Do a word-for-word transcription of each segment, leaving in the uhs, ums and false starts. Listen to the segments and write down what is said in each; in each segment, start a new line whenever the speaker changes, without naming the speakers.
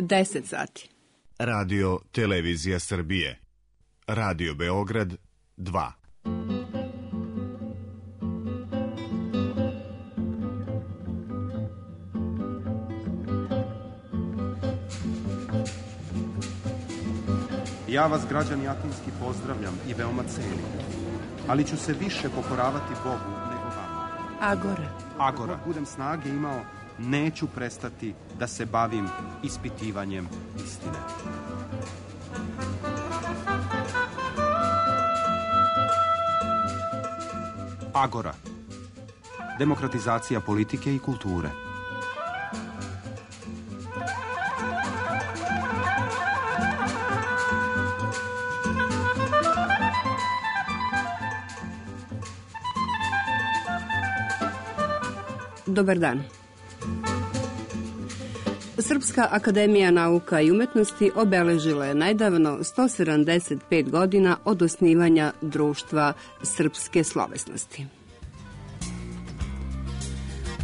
deset sati.
Radio Televizija Srbije. Radio Beograd dva.
Ja vas, građani Atinski, pozdravljam i veoma cenim, ali ću se više pokoravati Bogu nego vama.
Agora.
Agora. Dok budem snage imao, neću prestati da se bavim ispitivanjem istine. Agora. Demokratizacija politike i kulture.
Dobar dan. Srpska akademija nauka i umetnosti obeležila je nedavno sto sedamdeset pet godina od osnivanja Društva srpske slovesnosti.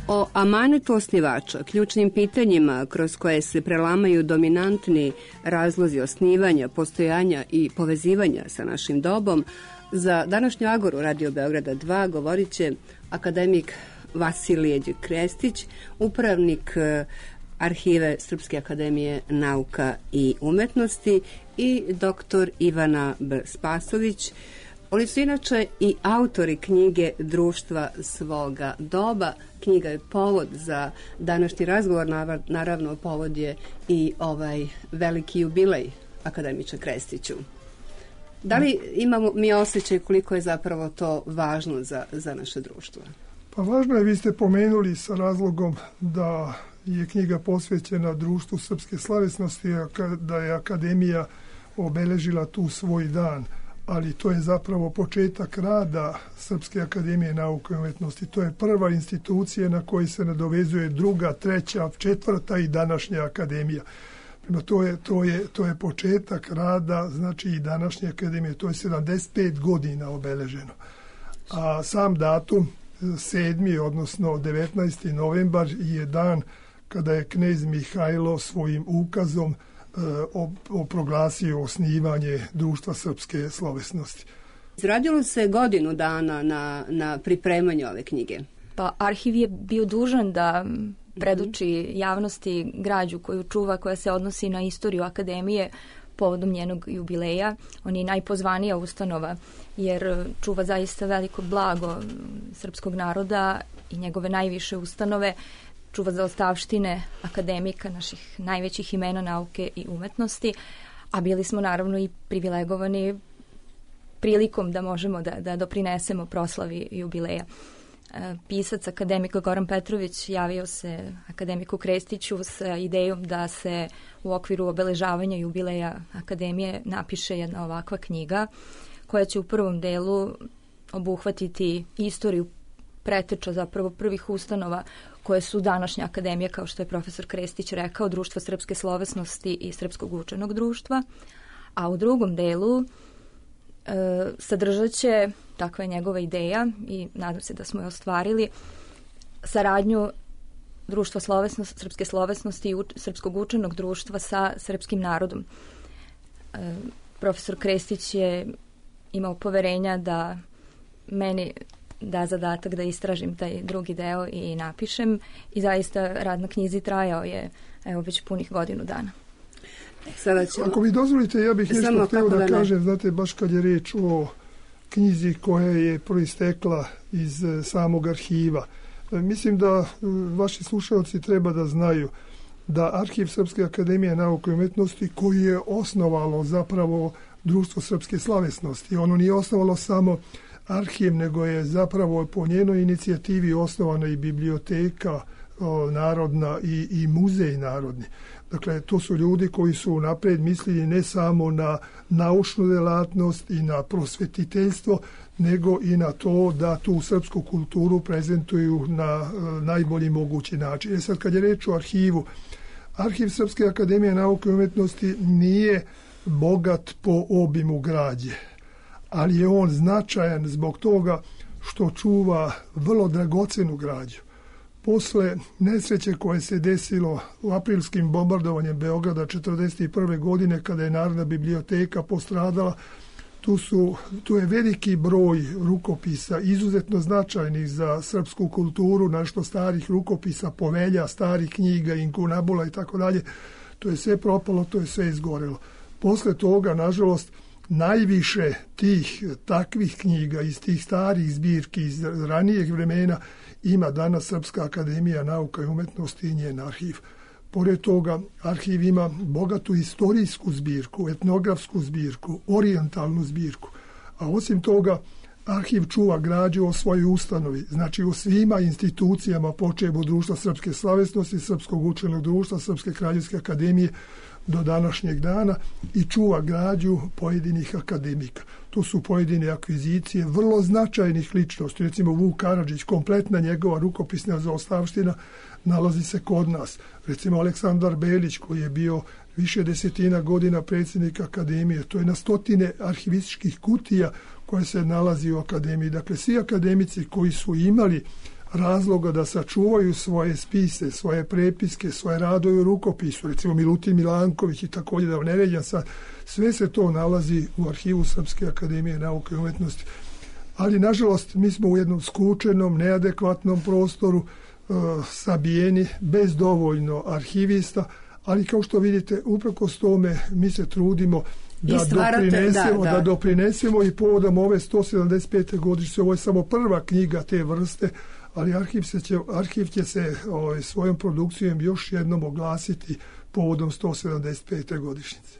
O amanetu osnivača, ključnim pitanjima kroz koje se prelamaju dominantni razlozi osnivanja, postojanja i povezivanja sa našim dobom, za današnju Agoru Radio Beograda dva govorit će akademik Vasilije Krestić, upravnik Arhive Srpske akademije nauka i umetnosti, i doktor Ivana B. Spasović. Oni su inače i autori knjige Društva svoga doba. Knjiga je povod za današnji razgovor, naravno povod je i ovaj veliki jubilej akademiče Krestiću. Da li imamo mi osjećaj koliko je zapravo to važno za, za naše društvo?
Pa važno je, vi ste pomenuli sa razlogom da je knjiga posvećena Društvu srpske slovesnosti, da je akademija obeležila tu svoj dan, ali to je zapravo početak rada Srpske akademije nauke i umetnosti. To je prva institucija na koju se nadovezuje druga, treća, četvrta i današnja akademija. Prema to je, to je, to je početak rada, znači i današnje akademije. To je sedamdeset pet godina obeleženo. A sam datum sedmi, odnosno devetnaesti novembar je dan kada je knez Mihajlo svojim ukazom e, proglasio osnivanje Društva srpske slovesnosti.
Izradilo se godinu dana na, na pripremanju ove knjige.
Pa arhiv je bio dužan da predoči javnosti građu koju čuva, koja se odnosi na istoriju akademije povodom njenog jubileja. On je najpozvanija ustanova jer čuva zaista veliko blago srpskog naroda i njegove najviše ustanove, čuva zaostavštine akademika, naših najvećih imena nauke i umetnosti, a bili smo naravno i privilegovani prilikom da možemo da, da doprinesemo proslavi jubileja. Pisac akademika Goran Petrović javio se akademiku Krestiću sa idejom da se u okviru obeležavanja jubileja akademije napiše jedna ovakva knjiga koja će u prvom delu obuhvatiti istoriju preteča zapravo prvih ustanova koje su današnja akademija, kao što je profesor Krestić rekao, Društvo srpske slovesnosti i Srpskog učenog društva, a u drugom delu e, sadržat će, takva je njegova ideja i nadam se da smo je ostvarili, saradnju Društva slovesnosti, srpske slovesnosti i u, Srpskog učenog društva sa srpskim narodom. E, profesor Krestić je imao poverenja da meni da zadatak da istražim taj drugi deo i napišem i zaista rad na knjizi trajao je evo već punih godinu dana.
Sada ćemo... Ako mi dozvolite, ja bih nešto htio da, da kažem, znate, baš kad je reč o knjizi koja je proistekla iz samog arhiva. Mislim da vaši slušalci treba da znaju da Arhiv Srpske akademije nauke i umetnosti, koji je osnovalo zapravo Društvo srpske slovesnosti, ono nije osnovalo samo arhiv, nego je zapravo po njenoj inicijativi osnovana i biblioteka o, narodna i, i muzej narodni. Dakle, to su ljudi koji su napred mislili ne samo na naučnu delatnost i na prosvetiteljstvo, nego i na to da tu srpsku kulturu prezentuju na e, najbolji mogući način. E sad, kad je reč o arhivu, Arhiv Srpske akademije nauke i umetnosti nije bogat po obimu građe, ali je on značajan zbog toga što čuva vrlo dragocenu građu. posle nesreće koje se desilo u aprilskim bombardovanjem Beograda četrdeset prve godine, kada je Narodna biblioteka postradala, tu, su, tu je veliki broj rukopisa, izuzetno značajnih za srpsku kulturu, nešto starih rukopisa, povelja, starih knjiga, inkunabula i tako dalje. To je sve propalo, to je sve izgorelo. Posle toga, nažalost, najviše tih takvih knjiga iz tih starih zbirki iz ranijeg vremena ima danas Srpska akademija nauka i umetnosti i njen arhiv. Pored toga, arhiv ima bogatu istorijsku zbirku, etnografsku zbirku, orijentalnu zbirku. A osim toga, arhiv čuva građu o svojoj ustanovi, znači o svima institucijama počev od Društva srpske slavesnosti, Srpskog učenog društva, Srpske kraljevske akademije do današnjeg dana i čuva građu pojedinih akademika. To su pojedine akvizicije vrlo značajnih ličnosti. Recimo Vuk Karadžić, kompletna njegova rukopisna zaostavština nalazi se kod nas. Recimo Aleksandar Belić, koji je bio više desetina godina predsjednik akademije. To je na stotine arhivističkih kutija koje se nalazi u akademiji. Dakle, svi akademici koji su imali razloga da sačuvaju svoje spise, svoje prepiske, svoje radove u rukopisu, recimo Milutin Milanković i također da ne ređam sad, sve se to nalazi u arhivu Srpske akademije nauke i umetnosti. Ali, nažalost, mi smo u jednom skučenom, neadekvatnom prostoru, uh, sabijeni, bez dovoljno arhivista, ali kao što vidite, uprkos tome mi se trudimo da doprinesemo, da, da. da doprinesemo i povodom ove sto sedamdeset pete godišnjice, ovo je samo prva knjiga te vrste, ali arhiv, se će, arhiv će se ovaj, svojom produkcijom još jednom oglasiti povodom sto sedamdeset pete godišnjice.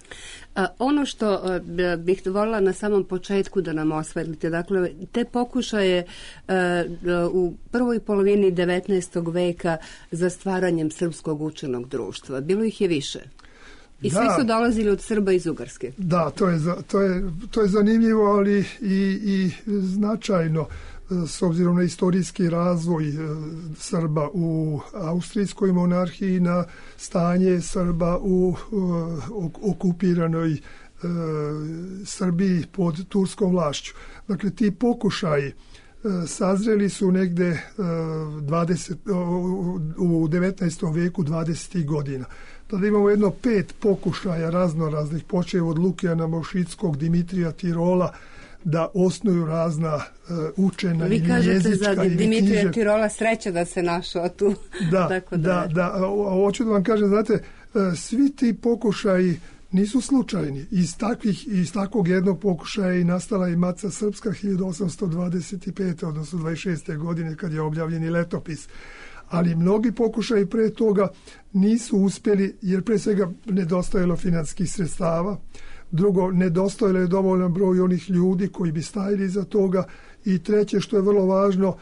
A, ono što a, bih voljela na samom početku da nam osvetlite, dakle, te pokušaje a, a, u prvoj polovini devetnaestog veka za stvaranjem Srpskog učenog društva. Bilo ih je više. I svi da, su dolazili od Srba iz Ugarske.
Da, to je, to je, to je zanimljivo, ali i, i značajno s obzirom na istorijski razvoj Srba u austrijskoj monarhiji, na stanje Srba u uh, okupiranoj uh, Srbiji pod turskom vlašću. Dakle, ti pokušaji uh, sazreli su negde uh, dvadeset, uh, u devetnaestom veku dvadesetih godina. Tada imamo jedno pet pokušaja raznoraznih, počev od Lukijana Mošickog, Dimitrija Tirola, da osnuju razna uh, učena
Vi
ili
kažete
jezička
za
ili
Dimitrija
knjiže...
Tirola sreća da se našao tu.
Da,
Tako
da, da, da. A hoću da vam kažem, znate, uh, svi ti pokušaji nisu slučajni. Iz, takvih, iz takvog jednog pokušaja i nastala i Matica Srpska hiljadu osamsto dvadeset pete. odnosno dvadeset šeste. godine kad je objavljeni letopis. Ali mnogi pokušaji pre toga nisu uspjeli jer pre svega nedostajalo financijskih sredstava. Drugo, nedostojalo je dovoljan broj onih ljudi koji bi stajali za toga. I treće, što je vrlo važno,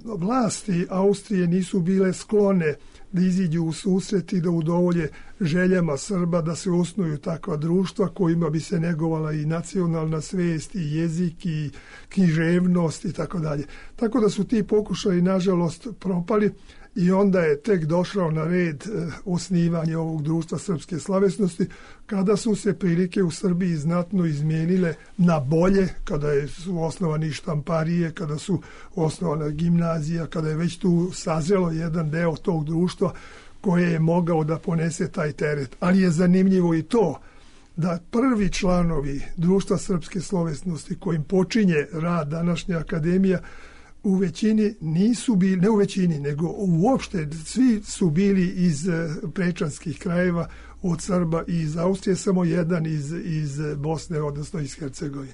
vlasti Austrije nisu bile sklone da iziđu u susret i da udovolje željama Srba da se osnuju takva društva kojima bi se negovala i nacionalna svest i jezik i književnost i tako dalje. Tako da su ti pokušaji nažalost propali i onda je tek došao na red eh, osnivanje ovog društva srpske slavesnosti kada su se prilike u Srbiji znatno izmijenile na bolje, kada je, su osnovani štamparije, kada su osnovana gimnazija, kada je već tu sazrelo jedan deo tog društva koje je mogao da ponese taj teret. Ali je zanimljivo i to da prvi članovi društva srpske slovesnosti kojim počinje rad današnja akademija u većini nisu bili, ne u većini, nego uopšte svi su bili iz prečanskih krajeva, od Srba i iz Austrije, samo jedan iz, iz Bosne, odnosno iz Hercegovine.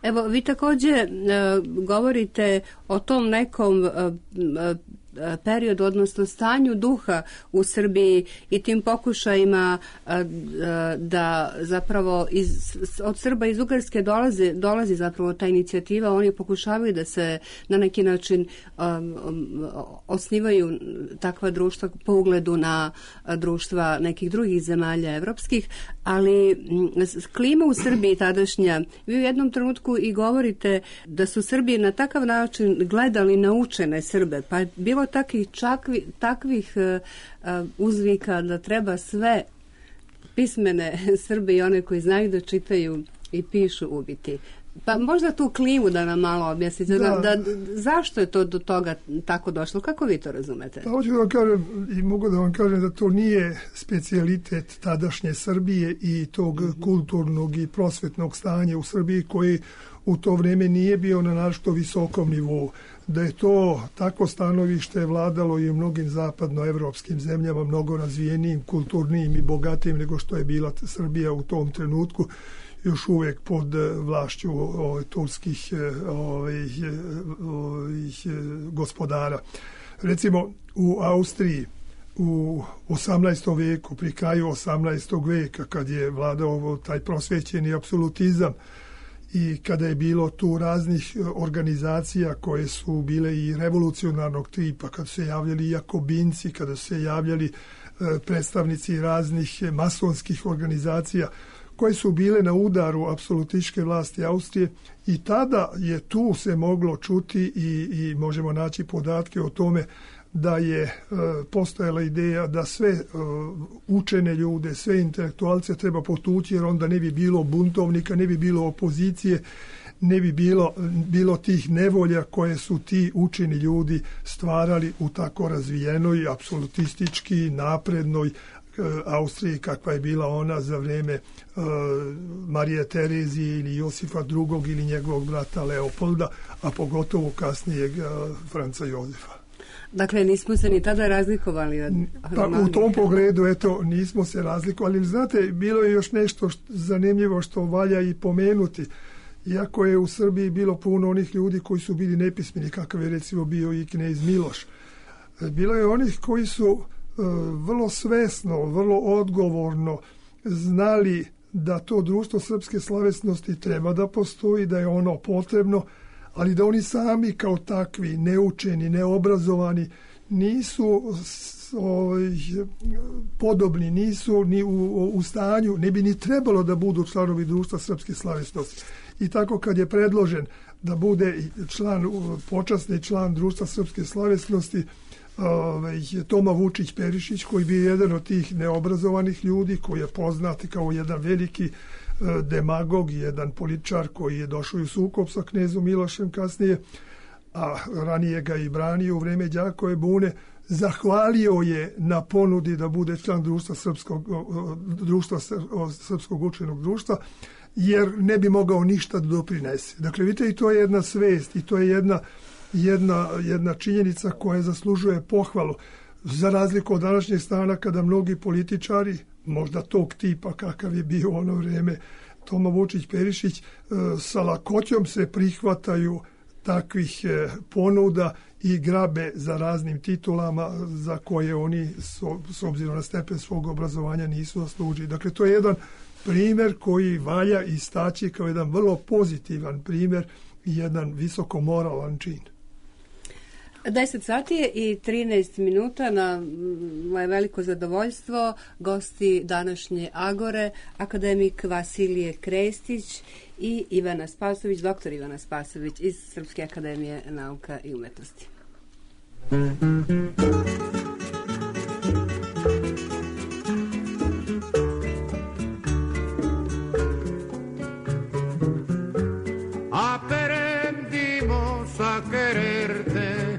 Evo, vi također uh, govorite o tom nekom uh, uh, periodu, odnosno stanju duha u Srbiji i tim pokušajima da zapravo iz, od Srba iz Ugarske dolazi, dolazi zapravo ta inicijativa, oni pokušavaju da se na neki način um, osnivaju takva društva po ugledu na društva nekih drugih zemalja evropskih, ali klima u Srbiji tadašnja, vi u jednom trenutku i govorite da su Srbi na takav način gledali na učene Srbe, pa je bilo takvih, čakvi, takvih uh, uzvika da treba sve pismene Srbe i one koji znaju da čitaju i pišu ubiti. Pa možda tu klimu da nam malo objasnite, da. Da, da, zašto je to do toga tako došlo, kako vi to razumete?
Pa hoću da vam kažem i mogu da vam kažem da to nije specijalitet tadašnje Srbije i tog mm-hmm. kulturnog i prosvetnog stanja u Srbiji koji u to vrijeme nije bio na našto visokom nivou. Da je to tako stanovište vladalo i u mnogim zapadnoevropskim zemljama, mnogo razvijenijim, kulturnijim i bogatijim nego što je bila Srbija u tom trenutku, još uvijek pod vlašću ove, turskih ove, ove, gospodara. Recimo u Austriji u osamnaestom veku, pri kraju osamnaestog veka, kad je vladao taj prosvećeni apsolutizam i kada je bilo tu raznih organizacija koje su bile i revolucionarnog tipa, kada su se javljali jakobinci, kada su se javljali predstavnici raznih masonskih organizacija, koje su bile na udaru apsolutističke vlasti Austrije, i tada je tu se moglo čuti i, i možemo naći podatke o tome da je e, postojala ideja da sve e, učene ljude, sve intelektualce treba potući, jer onda ne bi bilo buntovnika, ne bi bilo opozicije, ne bi bilo, bilo tih nevolja koje su ti učeni ljudi stvarali u tako razvijenoj, apsolutistički, naprednoj Austriji kakva je bila ona za vrijeme uh, Marije Terezije ili Josifa drugog ili njegovog brata Leopolda, a pogotovo kasnijeg uh, Franca Jozefa.
Dakle, nismo se ni tada razlikovali od
pa, u tom pogledu, eto, nismo se razlikovali. Znate, bilo je još nešto što, zanimljivo što valja i pomenuti. Iako je u Srbiji bilo puno onih ljudi koji su bili nepismeni, kakav je recimo bio i knez Miloš, bilo je onih koji su vrlo svesno, vrlo odgovorno znali da to društvo srpske slavesnosti treba da postoji, da je ono potrebno, ali da oni sami kao takvi, neučeni, neobrazovani, nisu ovaj, podobni, nisu ni u, u stanju, ne bi ni trebalo da budu članovi društva srpske slavesnosti. I tako kad je predložen da bude član, počasni član društva srpske slavesnosti, Toma Vučić Perišić, koji bi jedan od tih neobrazovanih ljudi, koji je poznat kao jedan veliki demagog, jedan političar koji je došao u sukob sa knezom Milošem kasnije, a ranije ga i branio u vrijeme Đakove bune, zahvalio je na ponudi da bude član društva srpskog, društva srpskog učenog društva, jer ne bi mogao ništa da doprinese. Dakle, vidite, i to je jedna svest i to je jedna Jedna, jedna činjenica koja zaslužuje pohvalu, za razliku od današnjeg stana kada mnogi političari, možda tog tipa kakav je bio u ono vrijeme Toma Vučić Perišić, sa lakoćom se prihvataju takvih ponuda i grabe za raznim titulama za koje oni s obzirom na stepen svog obrazovanja nisu zaslužili. Dakle, to je jedan primjer koji valja istaći kao jedan vrlo pozitivan primjer i jedan visoko moralan čin.
deset sati je i trinaest minuta, na moje veliko zadovoljstvo gosti današnje Agore, akademik Vasilije Krestić i Ivana Spasović, doktor Ivana Spasović iz Srpske akademije nauka i umetnosti.
Aprendimos a quererte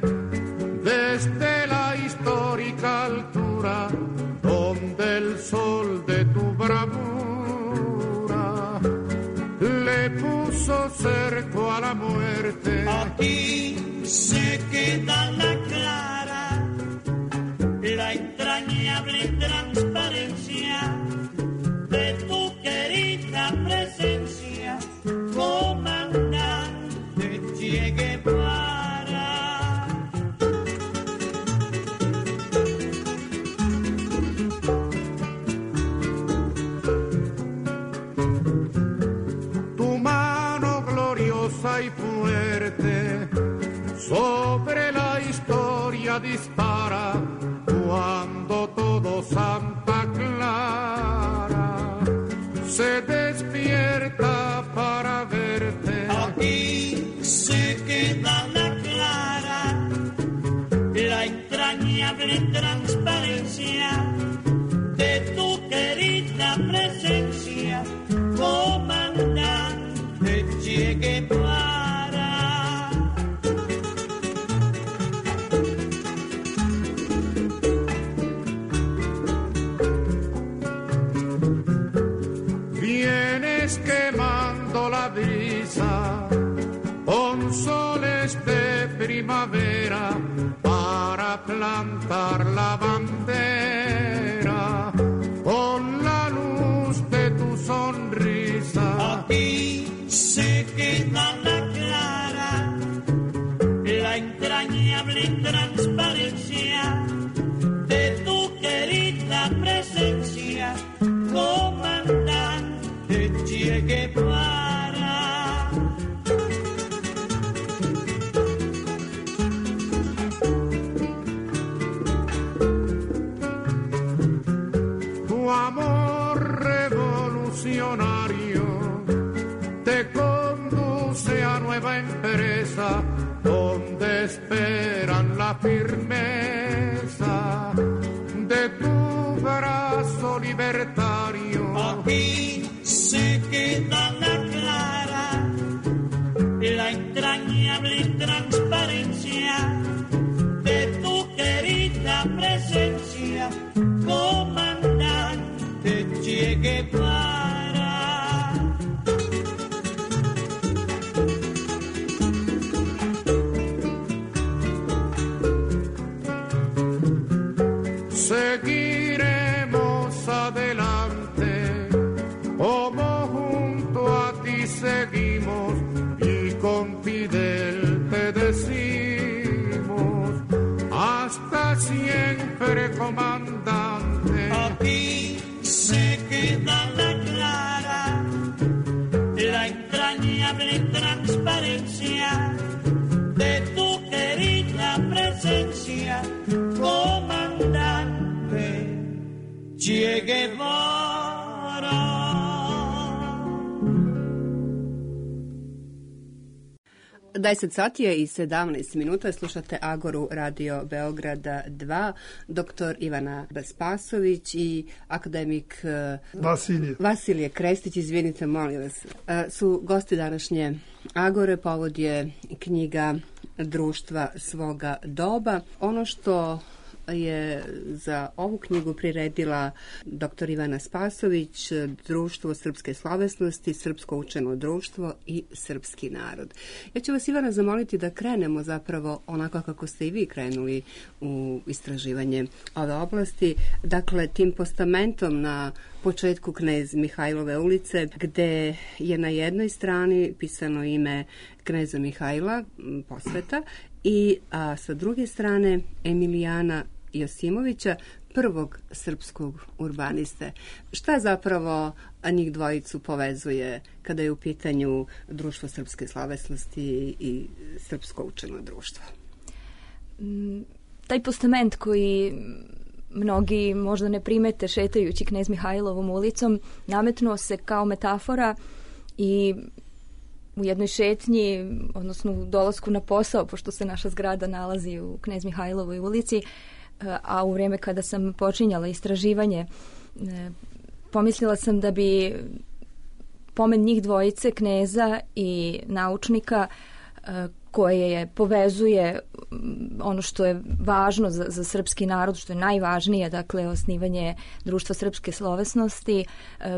desde la histórica altura donde el sol de tu bravura le puso cerco a la muerte.
Aquí se queda la clara, la entrañable transparencia de tu querida presencia, comandante Che Guevara.
Y fuerte sobre la historia dispara cuando todo Santa Clara se despierta para verte.
Aquí se queda la clara, la entrañable transparencia de tu querida presencia, comandante Che Guevara.
Vienes quemando la brisa con soles de primavera para plantar la bandera con la luz de tu sonrisa.
Aquí se queda la clara, la entrañable transparencia de tu querida presencia, comandante Che Guevara.
Tu amor revolucionario te conduce a nueva empresa donde esperan la firmeza de tu brazo libertario.
Aquí se queda la clara, la entrañable transparencia de tu querida presencia, comandante Che Guevara.
Seguiremos adelante, como junto a ti seguimos, y con Fidel te decimos, hasta siempre, comandante.
Aquí se queda la clara, la entrañable transparencia de tu querida presencia, comandante Che Guevara.
deset sati je i sedamnaest minuta, slušate Agoru Radio Beograda dva, doktor Ivana Spasović i akademik
Vasilije.
Vasilije Krestić, izvinite, molim vas, su gosti današnje Agore. Povod je knjiga Društva svoga doba. Ono što je za ovu knjigu priredila doktor Ivana Spasović, Društvo srpske slovesnosti, Srpsko učeno društvo i Srpski narod. Ja ću vas, Ivana, zamoliti da krenemo zapravo onako kako ste i vi krenuli u istraživanje ove oblasti. Dakle, tim postamentom na početku Knez Mihajlove ulice, gde je na jednoj strani pisano ime kneza Mihajla, posveta, i a, sa druge strane Emilijana Josimovića, prvog srpskog urbaniste. Šta zapravo njih dvojicu povezuje kada je u pitanju Društvo srpske slovesnosti i Srpsko učeno društvo?
Taj postament koji mnogi možda ne primete šetajući Knez Mihajlovom ulicom, nametnuo se kao metafora i u jednoj šetnji, odnosno u dolasku na posao, pošto se naša zgrada nalazi u Knez Mihajlovoj ulici, a u vrijeme kada sam počinjala istraživanje, pomislila sam da bi pomen njih dvojice, kneza i naučnika, koje je povezuje ono što je važno za, za srpski narod, što je najvažnije, dakle osnivanje Društva srpske slovesnosti,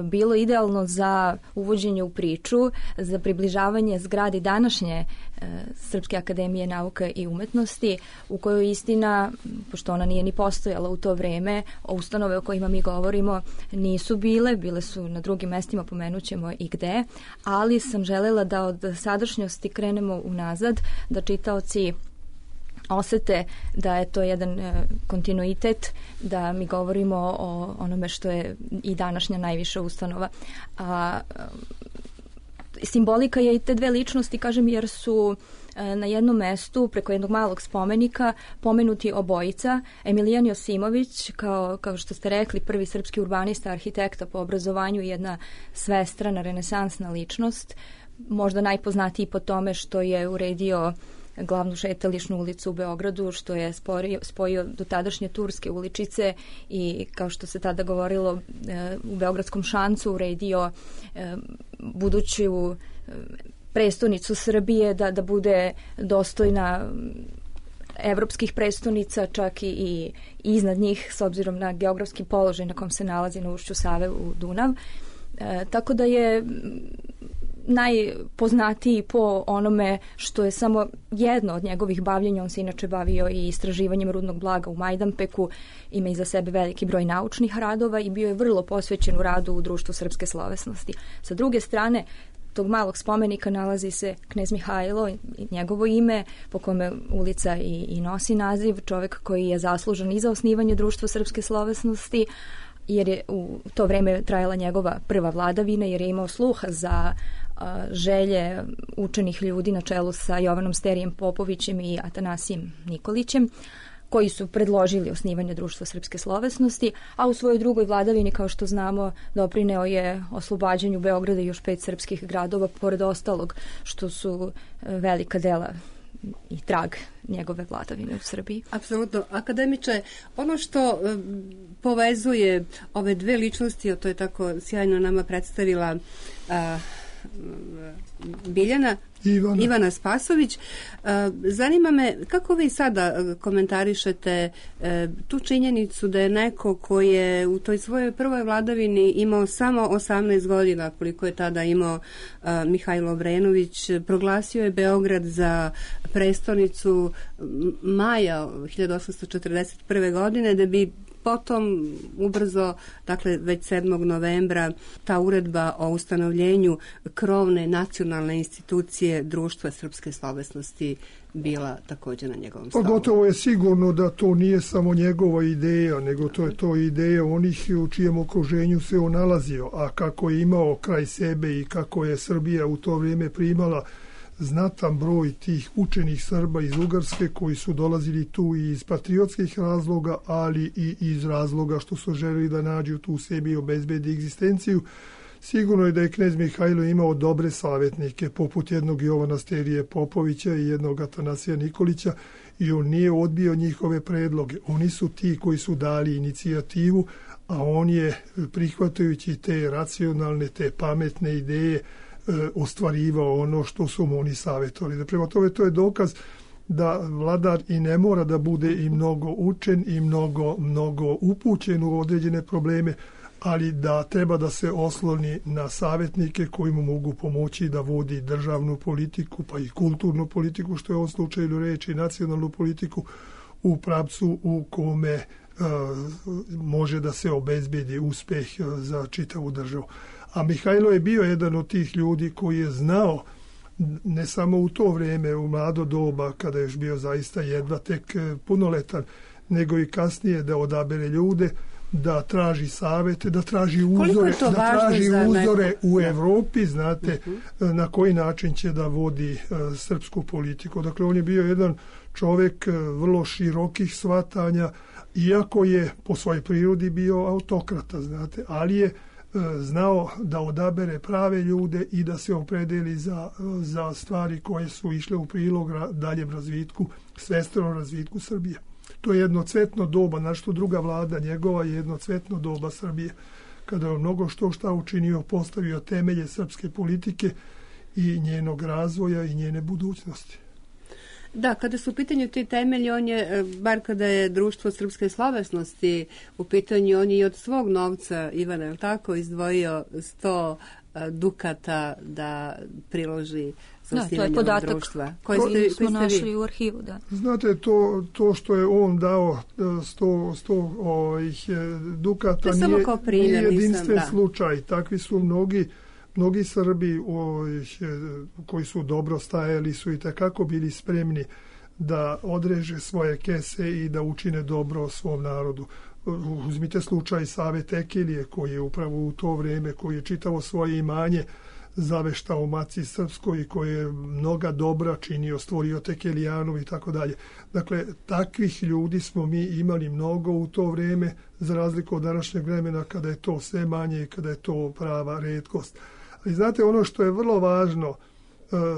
bilo idealno za uvođenje u priču, za približavanje zgradi današnje Srpske akademije nauka i umetnosti, u kojoj istina, pošto ona nije ni postojala u to vreme, ustanove o kojima mi govorimo nisu bile, bile su na drugim mestima, pomenućemo i gde, ali sam želela da od sadašnjosti krenemo unazad, da čitaoci osete da je to jedan e, kontinuitet, da mi govorimo o onome što je i današnja najviša ustanova. A, simbolika je i te dve ličnosti, kažem, jer su e, na jednom mestu, preko jednog malog spomenika, pomenuti obojica. Emilijan Josimović, kao, kao što ste rekli, prvi srpski urbanista, arhitekta po obrazovanju, jedna svestrana, renesansna ličnost, možda najpoznatiji po tome što je uredio glavnu šetališnu ulicu u Beogradu, što je sporio, spojio do tadašnje turske uličice i, kao što se tada govorilo, u Beogradskom šancu uredio buduću prestonicu Srbije da, da bude dostojna evropskih prestonica, čak i, i iznad njih, s obzirom na geografski položaj na kom se nalazi na ušću Save u Dunav. E, tako da je najpoznatiji po onome što je samo jedno od njegovih bavljenja. On se inače bavio i istraživanjem rudnog blaga u Majdanpeku, ima iza sebe veliki broj naučnih radova i bio je vrlo posvećen u radu u Društvu srpske slovesnosti. Sa druge strane, tog malog spomenika nalazi se knez Mihajlo i njegovo ime, po kome ulica i, i nosi naziv, čovjek koji je zaslužan i za osnivanje Društva srpske slovesnosti, jer je u to vreme trajala njegova prva vladavina, jer je imao sluha za a, želje učenih ljudi na čelu sa Jovanom Sterijem Popovićem i Atanasijem Nikolićem, koji su predložili osnivanje Društva srpske slovesnosti, a u svojoj drugoj vladavini, kao što znamo, doprineo je oslobađanju Beograda i još pet srpskih gradova, pored ostalog što su velika dela i trag njegove vladavine u Srbiji.
Apsolutno. Akademiče, ono što e, povezuje ove dve ličnosti, to je tako sjajno nama predstavila a, Biljana Ivana. Ivana Spasović. Zanima me kako vi sada komentarišete tu činjenicu da je neko koji je u toj svojoj prvoj vladavini imao samo osamnaest godina, koliko je tada imao Mihajlo Obrenović, proglasio je Beograd za prestonicu maja hiljadu osamsto četrdeset prve. godine, da bi potom ubrzo, dakle već sedmog novembra, ta uredba o ustanovljenju krovne nacionalne institucije Društva srpske slovesnosti bila također na njegovom stolu.
Pa gotovo je sigurno da to nije samo njegova ideja, nego to je to ideja onih u čijem okruženju se on nalazio, a kako je imao kraj sebe i kako je Srbija u to vrijeme primala znatan broj tih učenih Srba iz Ugarske koji su dolazili tu i iz patriotskih razloga, ali i iz razloga što su želeli da nađu tu u sebi i obezbedi egzistenciju. Sigurno je da je knez Mihajlo imao dobre savjetnike, poput jednog Jovana Sterije Popovića i jednog Atanasija Nikolića, i on nije odbio njihove predloge. Oni su ti koji su dali inicijativu, a on je, prihvatajući te racionalne, te pametne ideje, ostvarivao ono što su mu oni savjetovali. Prema tome, to je dokaz da vladar i ne mora da bude i mnogo učen i mnogo, mnogo upućen u određene probleme, ali da treba da se osloni na savjetnike koji mu mogu pomoći da vodi državnu politiku, pa i kulturnu politiku, što je u ovom slučaju reči, nacionalnu politiku, u pravcu u kome uh, može da se obezbedi uspeh za čitavu državu. A Mihajlo je bio jedan od tih ljudi koji je znao, ne samo u to vrijeme, u mlado doba, kada je još bio zaista jedva tek punoletan, nego i kasnije da odabere ljude, da traži savete, da traži uzore, da traži uzore u Evropi, znate, uh-huh. na koji način će da vodi uh, srpsku politiku. Dakle, on je bio jedan čovjek uh, vrlo širokih shvatanja, iako je po svojoj prirodi bio autokrata, znate, ali je znao da odabere prave ljude i da se opredeli za, za stvari koje su išle u prilog daljem razvitku, svestvenom razvitku Srbije. To je jedno cvetno doba, našto druga vlada njegova je jedno cvetno doba Srbije, kada je mnogo što šta učinio, postavio temelje srpske politike i njenog razvoja i njene budućnosti.
Da, kada su u pitanju ti temelji, on je, bar kada je Društvo srpske slovesnosti u pitanju, on je i od svog novca, Ivana, je li tako, izdvojio sto dukata da priloži za osnivanje ovog društva.
Koji ste, koji smo našli u arhivu, da.
Znate, to, to što je on dao sto, sto ovih dukata nije, primjer, nije jedinstven nisam, slučaj. Takvi su mnogi Mnogi Srbi koji su dobro stajali su i takako bili spremni da odreže svoje kese i da učine dobro svom narodu. Uzmite slučaj Save Tekilije koji je upravo u to vrijeme, koji je čitavo svoje imanje zaveštao Maci Srpskoj i koji je mnoga dobra činio, stvorio Tekelijanov i tako dalje. Dakle, takvih ljudi smo mi imali mnogo u to vrijeme, za razliku od današnjeg vremena kada je to sve manje i kada je to prava retkost. Ali znate, ono što je vrlo važno,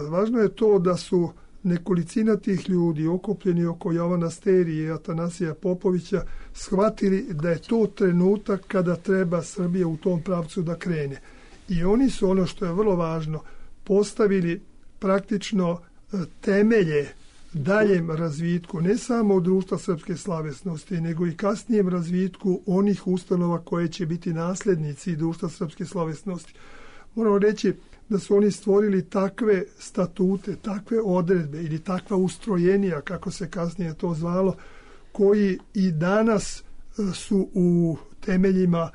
važno je to da su nekolicina tih ljudi okupljeni oko Jovana Sterije i Atanasija Popovića shvatili da je to trenutak kada treba Srbija u tom pravcu da krene. I oni su, ono što je vrlo važno, postavili praktično temelje daljem razvitku ne samo društva srpske slovesnosti, nego i kasnijem razvitku onih ustanova koje će biti naslednici društva srpske slovesnosti. Moramo reći da su oni stvorili takve statute, takve odredbe ili takva ustrojenija, kako se kasnije to zvalo, koji i danas su u temeljima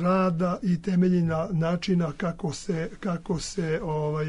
rada i temeljina načina kako se, kako se ovaj,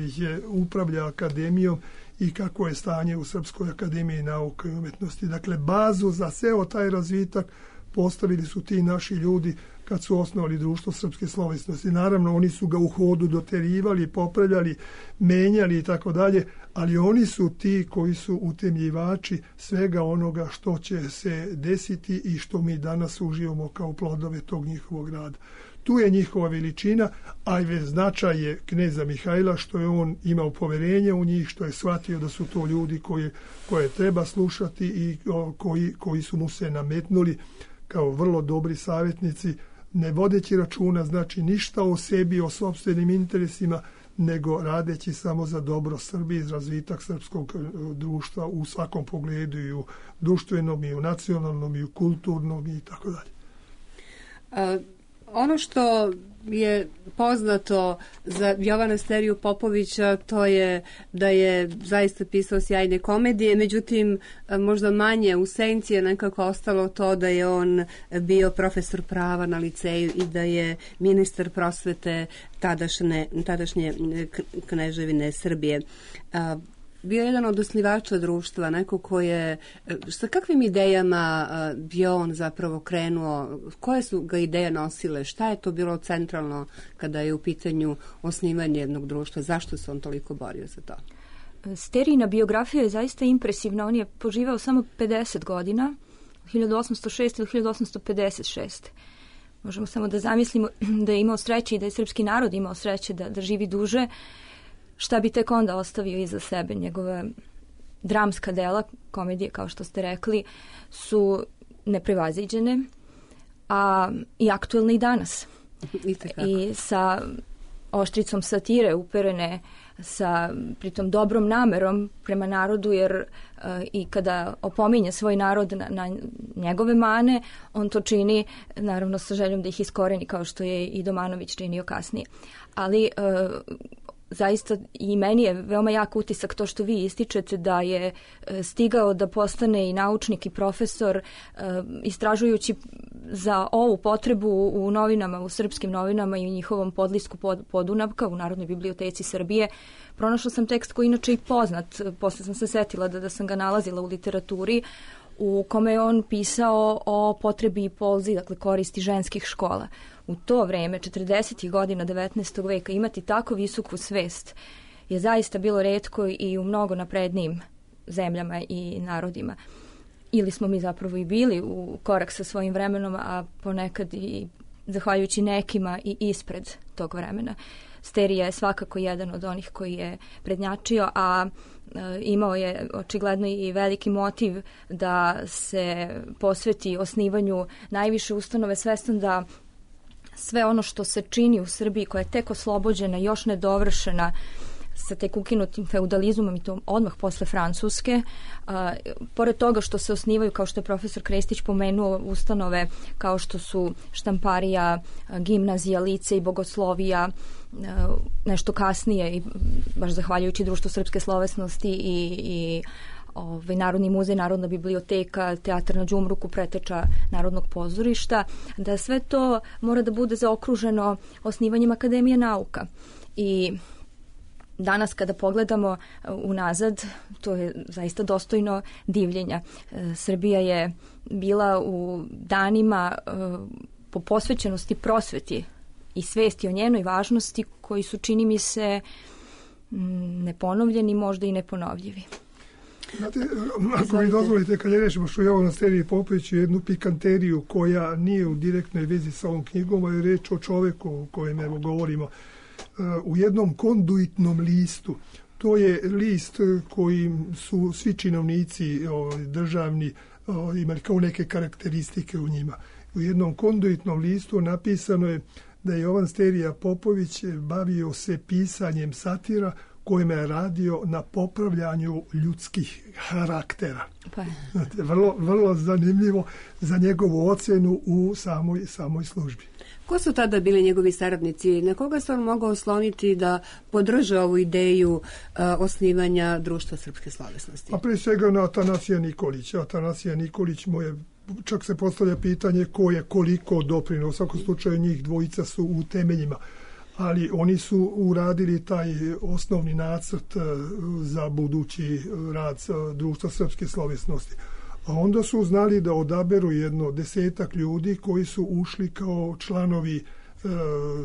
upravlja akademijom i kako je stanje u Srpskoj akademiji nauke i umjetnosti. Dakle, bazu za ceo taj razvitak postavili su ti naši ljudi kad su osnovali društvo srpske slovesnosti. Naravno, oni su ga u hodu doterivali, popravljali, menjali i tako dalje, ali oni su ti koji su utemljivači svega onoga što će se desiti i što mi danas uživamo kao plodove tog njihovog rada. Tu je njihova veličina, a i značaj je kneza Mihajla, što je on imao poverenje u njih, što je shvatio da su to ljudi koji, koje treba slušati i koji, koji su mu se nametnuli kao vrlo dobri savjetnici, ne vodeći računa, znači ništa o sebi, o sopstvenim interesima, nego radeći samo za dobro Srbije i razvitak srpskog društva u svakom pogledu, i u društvenom, i u nacionalnom, i u kulturnom i tako dalje.
Ono što je poznato za Jovana Steriju Popovića, to je da je zaista pisao sjajne komedije, međutim možda manje u senci je nekako ostalo to da je on bio profesor prava na liceju i da je ministar prosvete tadašnje, tadašnje kneževine Srbije. Bio je jedan od osnivača društva, neko ko je, sa kakvim idejama je on zapravo krenuo, koje su ga ideje nosile, šta je to bilo centralno kada je u pitanju osnivanje jednog društva, zašto se on toliko borio za to?
Sterijina biografija je zaista impresivna, on je poživao samo pedeset godina, hiljadu osamsto šeste do hiljadu osamsto pedeset šeste. Možemo samo da zamislimo da je imao sreće i da je srpski narod imao sreće da, da živi duže. Šta bi tek onda ostavio iza sebe? Njegove dramska dela, komedije, kao što ste rekli, su neprevaziđene, a i aktuelne i danas.
I,
I sa oštricom satire uperene, sa pritom dobrom namerom prema narodu, jer uh, i kada opominje svoj narod na, na njegove mane, on to čini naravno sa željom da ih iskoreni, kao što je i Domanović činio kasnije. Ali uh, zaista i meni je veoma jak utisak to što vi ističete, da je stigao da postane i naučnik i profesor, istražujući za ovu potrebu u novinama, u srpskim novinama i u njihovom podlisku Podunavka u Narodnoj biblioteci Srbije. Pronašla sam tekst koji inače i poznat, posle sam se setila da, da sam ga nalazila u literaturi, u kome je on pisao o potrebi i polzi, dakle koristi ženskih škola. U to vreme, četrdesetih godina devetnaestog veka, imati tako visoku svest je zaista bilo retko i u mnogo naprednijim zemljama i narodima. Ili smo mi zapravo i bili u korak sa svojim vremenom, a ponekad i zahvaljujući nekima i ispred tog vremena. Sterija je svakako jedan od onih koji je prednjačio, a e, imao je očigledno i veliki motiv da se posveti osnivanju najviše ustanove, svestan da sve ono što se čini u Srbiji, koja je tek oslobođena, još nedovršena, sa tek ukinutim feudalizmom i to odmah posle Francuske. A, pored toga što se osnivaju, kao što je profesor Krestić pomenuo, ustanove kao što su Štamparija, Gimnazija, Lice i Bogoslovija, a, nešto kasnije, i baš zahvaljujući Društvu srpske slovesnosti i, i ovaj, Narodni muzej, Narodna biblioteka, Teatar na Đumruku, preteča Narodnog pozorišta, da sve to mora da bude zaokruženo osnivanjem Akademije nauka. I danas kada pogledamo unazad, to je zaista dostojno divljenja. Srbija je bila u danima po posvećenosti prosveti i svesti o njenoj važnosti koji su, čini mi se, neponovljeni, možda i neponovljivi.
Znate, ako mi dozvolite, kad je rečemo što je ovo na Steriji Popoviću, jednu pikanteriju koja nije u direktnoj vezi sa ovom knjigom, a je reč o čoveku o kojem evo govorimo, u jednom konduitnom listu. To je list koji su svi činovnici državni imali kao neke karakteristike u njima. U jednom konduitnom listu napisano je da je Jovan Sterija Popović bavio se pisanjem satira kojima je radio na popravljanju ljudskih karaktera.
Pa.
Znate, vrlo, vrlo zanimljivo za njegovu ocjenu u samoj, samoj službi.
Ko su tada bili njegovi saradnici? Na koga se on mogao osloniti da podrže ovu ideju uh, osnivanja Društva srpske slovesnosti?
A prije svega na Atanasija Nikolića. Atanasija Nikolić mu je, čak se postavlja pitanje ko je koliko doprinuo. U svakom slučaju njih dvojica su u temeljima. Ali oni su uradili taj osnovni nacrt za budući rad Društva srpske slovesnosti. A onda su znali da odaberu jedno desetak ljudi koji su ušli kao članovi e,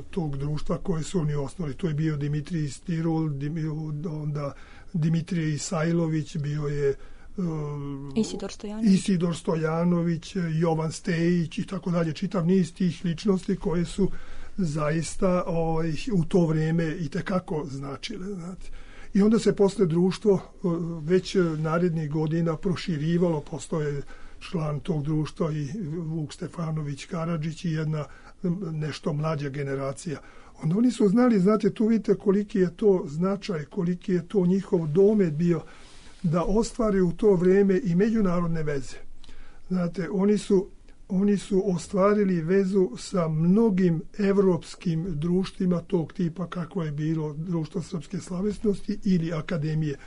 tog društva koje su oni osnovali. To je bio Dimitrij Stirul, Dim, onda Dimitrij Isajlović, bio je e,
Isidor Stojanović.
Isidor Stojanović, Jovan Stejić i tako dalje. Čitav niz tih ličnosti koje su zaista o, u to vrijeme i tekako značile. Znate. I onda se posle društvo već narednih godina proširivalo, postoje član tog društva i Vuk Stefanović Karadžić i jedna nešto mlađa generacija. Onda oni su znali, znate, tu vidite koliki je to značaj, koliki je to njihov domet bio da ostvari u to vrijeme i međunarodne veze. Znate, oni su Oni su ostvarili vezu sa mnogim evropskim društvima tog tipa kako je bilo Društvo srpske slovesnosti ili akademije.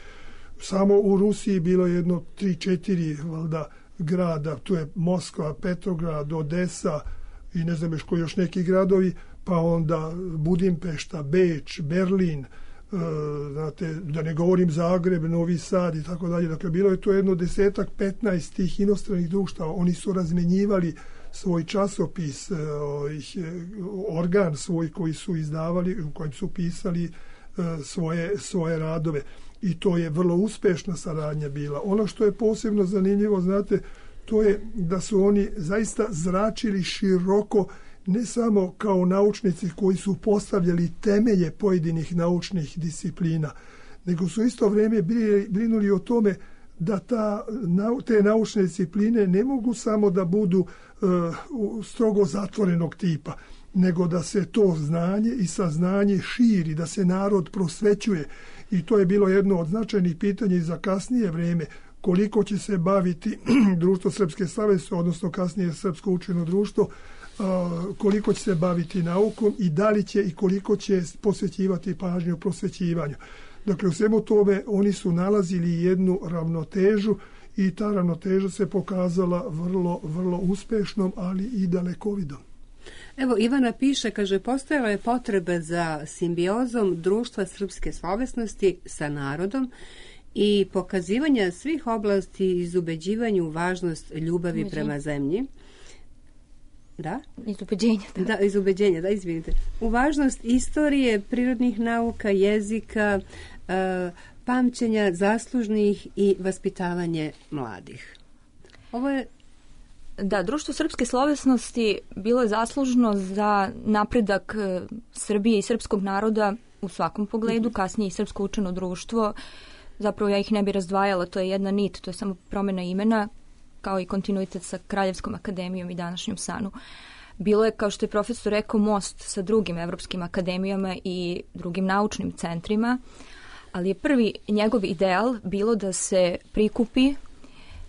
Samo u Rusiji bilo jedno tri četiri valjda grada, tu je Moskva, Petrograd, Odesa i ne znam još koji još neki gradovi, pa onda Budimpešta, Beč, Berlin, znate, da ne govorim Zagreb, Novi Sad i tako dalje. Dakle, bilo je to jedno desetak, petnaest tih inostranih društava. Oni su razmenjivali svoj časopis, organ svoj koji su izdavali, u kojem su pisali svoje, svoje radove. I to je vrlo uspešna saradnja bila. Ono što je posebno zanimljivo, znate, to je da su oni zaista zračili široko, ne samo kao naučnici koji su postavljali temelje pojedinih naučnih disciplina, nego su isto vrijeme brinuli o tome da ta, te naučne discipline ne mogu samo da budu uh, strogo zatvorenog tipa, nego da se to znanje i saznanje širi, da se narod prosvećuje. I to je bilo jedno od značajnih pitanja i za kasnije vrijeme, koliko će se baviti Društvo srpske slovesnosti, odnosno kasnije Srpsko učeno društvo, koliko će se baviti naukom i da li će i koliko će posvećivati pažnju prosvećivanju. Dakle, u svemu tome oni su nalazili jednu ravnotežu i ta ravnoteža se pokazala vrlo, vrlo uspešnom, ali i dalekovidom.
Evo, Ivana piše, kaže, postojala je potreba za simbiozom Društva srpske slovesnosti sa narodom i pokazivanja svih oblasti iz ubeđivanju važnost ljubavi Ubeđenje. prema zemlji. Da?
Iz ubeđenja. Da.
da, iz ubeđenja, da, izvinite. U važnost istorije, prirodnih nauka, jezika, e, pamćenja zaslužnih i vaspitavanje mladih. Ovo je...
Da, Društvo srpske slovesnosti bilo je zaslužno za napredak Srbije i srpskog naroda u svakom pogledu, kasnije i Srpsko učeno društvo. Zapravo ja ih ne bi razdvajala, to je jedna nit, to je samo promjena imena, kao i kontinuitet sa Kraljevskom akademijom i današnjom SANU. Bilo je, kao što je profesor rekao, most sa drugim evropskim akademijama i drugim naučnim centrima, ali je prvi njegov ideal bilo da se prikupi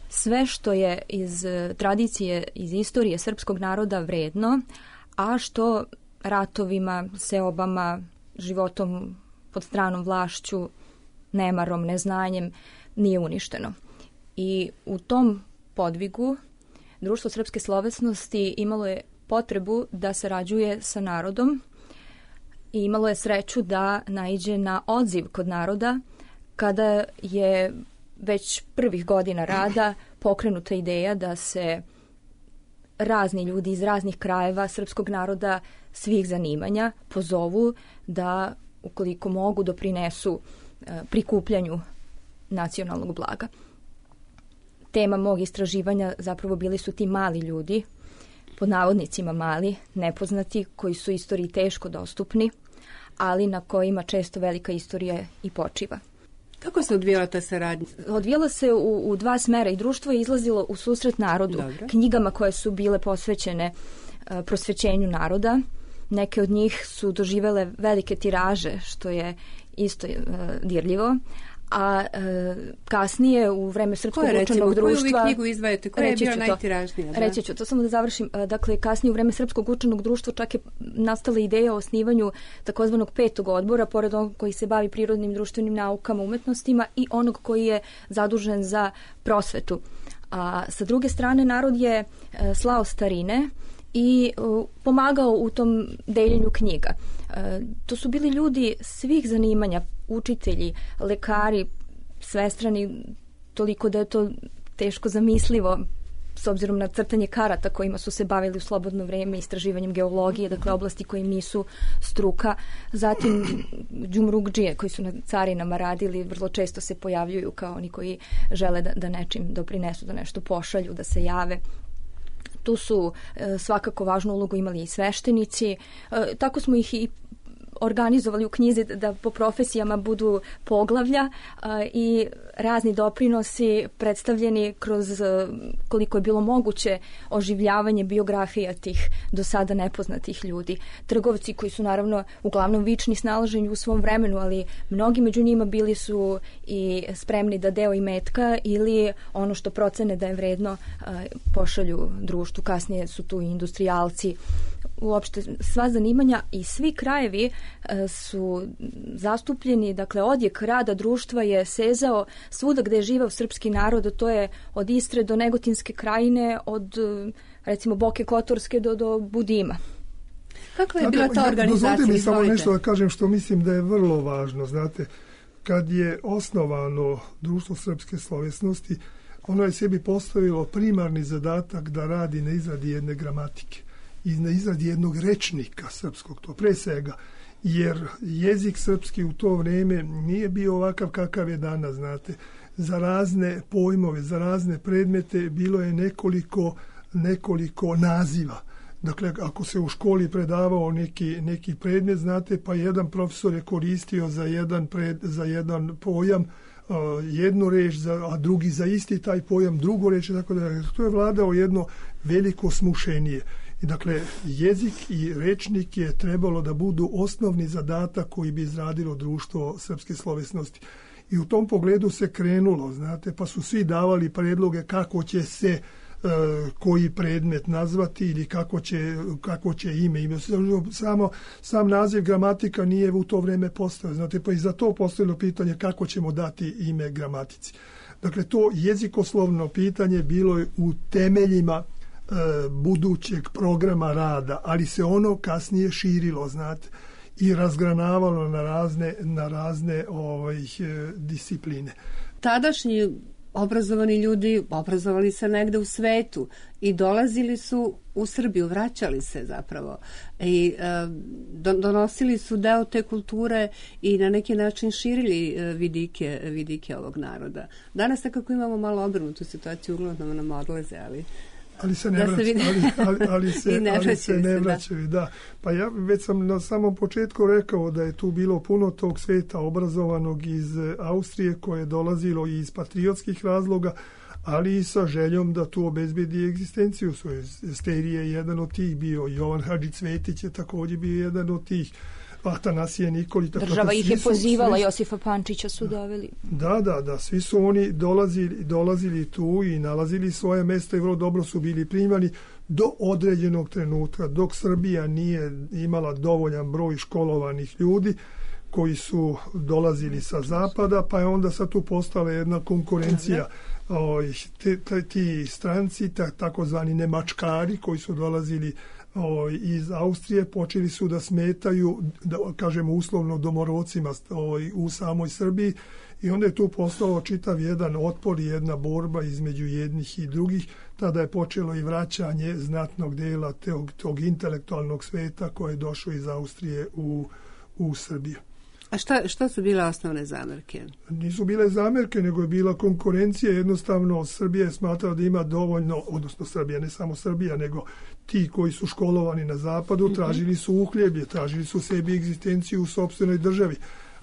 sve što je iz tradicije, iz istorije srpskog naroda vredno, a što ratovima, seobama, životom pod stranom vlašću, nemarom, neznanjem nije uništeno. I u tom podvigu Društvo srpske slovesnosti imalo je potrebu da sarađuje sa narodom i imalo je sreću da naiđe na odziv kod naroda kada je već prvih godina rada pokrenuta ideja da se razni ljudi iz raznih krajeva srpskog naroda svih zanimanja pozovu da, ukoliko mogu, doprinesu prikupljanju nacionalnog blaga. Tema mog istraživanja zapravo bili su ti mali ljudi, pod navodnicima mali, nepoznati, koji su istoriji teško dostupni, ali na kojima često velika istorija i počiva.
Kako se odvijala ta saradnja?
Odvijala se u, u dva smera i društvo je izlazilo u susret narodu,
Dobre.
knjigama koje su bile posvećene uh, prosvećenju naroda Neke od njih su doživele velike tiraže, što je isto uh, dirljivo. A e, kasnije u vreme Srpskog učenog društva...
Koju vi knjigu izdvajate? Koja je bila najtiražnija? Da?
Reći ću, to samo da završim. Dakle, kasnije u vreme Srpskog učenog društva čak je nastala ideja o osnivanju takozvanog petog odbora, pored onog koji se bavi prirodnim društvenim naukama, umetnostima i onog koji je zadužen za prosvetu. A sa druge strane, narod je e, slao starine i uh, pomagao u tom deljenju knjiga. Uh, to su bili ljudi svih zanimanja, učitelji, lekari, svestrani, toliko da je to teško zamislivo s obzirom na crtanje karata kojima su se bavili u slobodno vreme, istraživanjem geologije, dakle oblasti koje nisu struka. Zatim džumrugdžije koji su na carinama radili, vrlo često se pojavljuju kao oni koji žele da, da nečim doprinesu, da nešto pošalju, da se jave. Tu su e, svakako važnu ulogu imali i sveštenici. E, tako smo ih i organizovali u knjizi da po profesijama budu poglavlja a, i razni doprinosi predstavljeni kroz a, koliko je bilo moguće oživljavanje biografija tih do sada nepoznatih ljudi. Trgovci koji su naravno uglavnom vični snalaženju u svom vremenu, ali mnogi među njima bili su i spremni da deo imetka ili ono što procene da je vredno a, pošalju društvu. Kasnije su tu i industrijalci. Uopšte sva zanimanja i svi krajevi e, su zastupljeni, dakle odjek rada društva je sezao svuda gde je živeo srpski narod, to je od Istre do Negotinske krajine, od recimo Boke Kotorske do, do Budima.
Kako je bila ta organizacija?
Dozvolite mi samo nešto da kažem što mislim da je vrlo važno. Znate, kad je osnovano Društvo srpske slovesnosti, ono je sebi postavilo primarni zadatak da radi na izradi jedne gramatike i na izradi jednog rečnika srpskog, to pre svega, jer jezik srpski u to vrijeme nije bio ovakav kakav je danas, znate. Za razne pojmove, za razne predmete bilo je nekoliko, nekoliko naziva. Dakle, ako se u školi predavao neki, neki predmet, znate, pa jedan profesor je koristio za jedan, pred, za jedan pojam uh, jednu reč, za, a drugi za isti taj pojam drugu reč, tako da to je vladao jedno veliko smušenje. I dakle, jezik i rečnik je trebalo da budu osnovni zadatak koji bi izradilo Društvo srpske slovesnosti. I u tom pogledu se krenulo, znate, pa su svi davali predloge kako će se e, koji predmet nazvati ili kako će, kako će ime. ime. Samo, sam naziv gramatika nije u to vrijeme postojao, znate, pa i za to postojilo pitanje kako ćemo dati ime gramatici. Dakle, to jezikoslovno pitanje bilo je u temeljima budućeg programa rada, ali se ono kasnije širilo, znate, i razgranavalo na razne, na razne ovaj, discipline.
Tadašnji obrazovani ljudi obrazovali se negde u svetu i dolazili su u Srbiju, vraćali se zapravo i e, donosili su deo te kulture i na neki način širili e, vidike, vidike ovog naroda. Danas nekako imamo malo obrnutu situaciju, uglavnom nam odlaze, ali
ali se ne da vraćaju, ali, ali, ali se ne ali se ne vraćaju, da. Pa ja već sam na samom početku rekao da je tu bilo puno tog sveta obrazovanog iz Austrije koje je dolazilo i iz patriotskih razloga, ali i sa željom da tu obezbedi egzistenciju svoje. Sterije je jedan od tih bio, Jovan Hadži Cvetić je također bio jedan od tih, Atanasije Nikolić.
Država ih je pozivala, svi, Josifa Pančića su doveli.
Da, da, da, svi su oni dolazili, dolazili tu i nalazili svoje mjesto i vrlo dobro su bili primani do određenog trenutka, dok Srbija nije imala dovoljan broj školovanih ljudi koji su dolazili sa zapada, pa je onda sad tu postala jedna konkurencija. O, te, te, ti stranci, takozvani nemačkari koji su dolazili O, iz Austrije, počeli su da smetaju, da kažemo uslovno, domorodcima o, u samoj Srbiji i onda je tu postao čitav jedan otpor i jedna borba između jednih i drugih. Tada je počelo i vraćanje znatnog dela tog, tog intelektualnog sveta koje je došlo iz Austrije u, u Srbiju.
A šta, šta su bile osnovne zamerke?
Nisu bile zamerke, nego je bila konkurencija. Jednostavno, Srbija je smatrala da ima dovoljno, odnosno Srbija, ne samo Srbija, nego ti koji su školovani na zapadu, tražili su uhljeblje, tražili su sebi egzistenciju u sopstvenoj državi.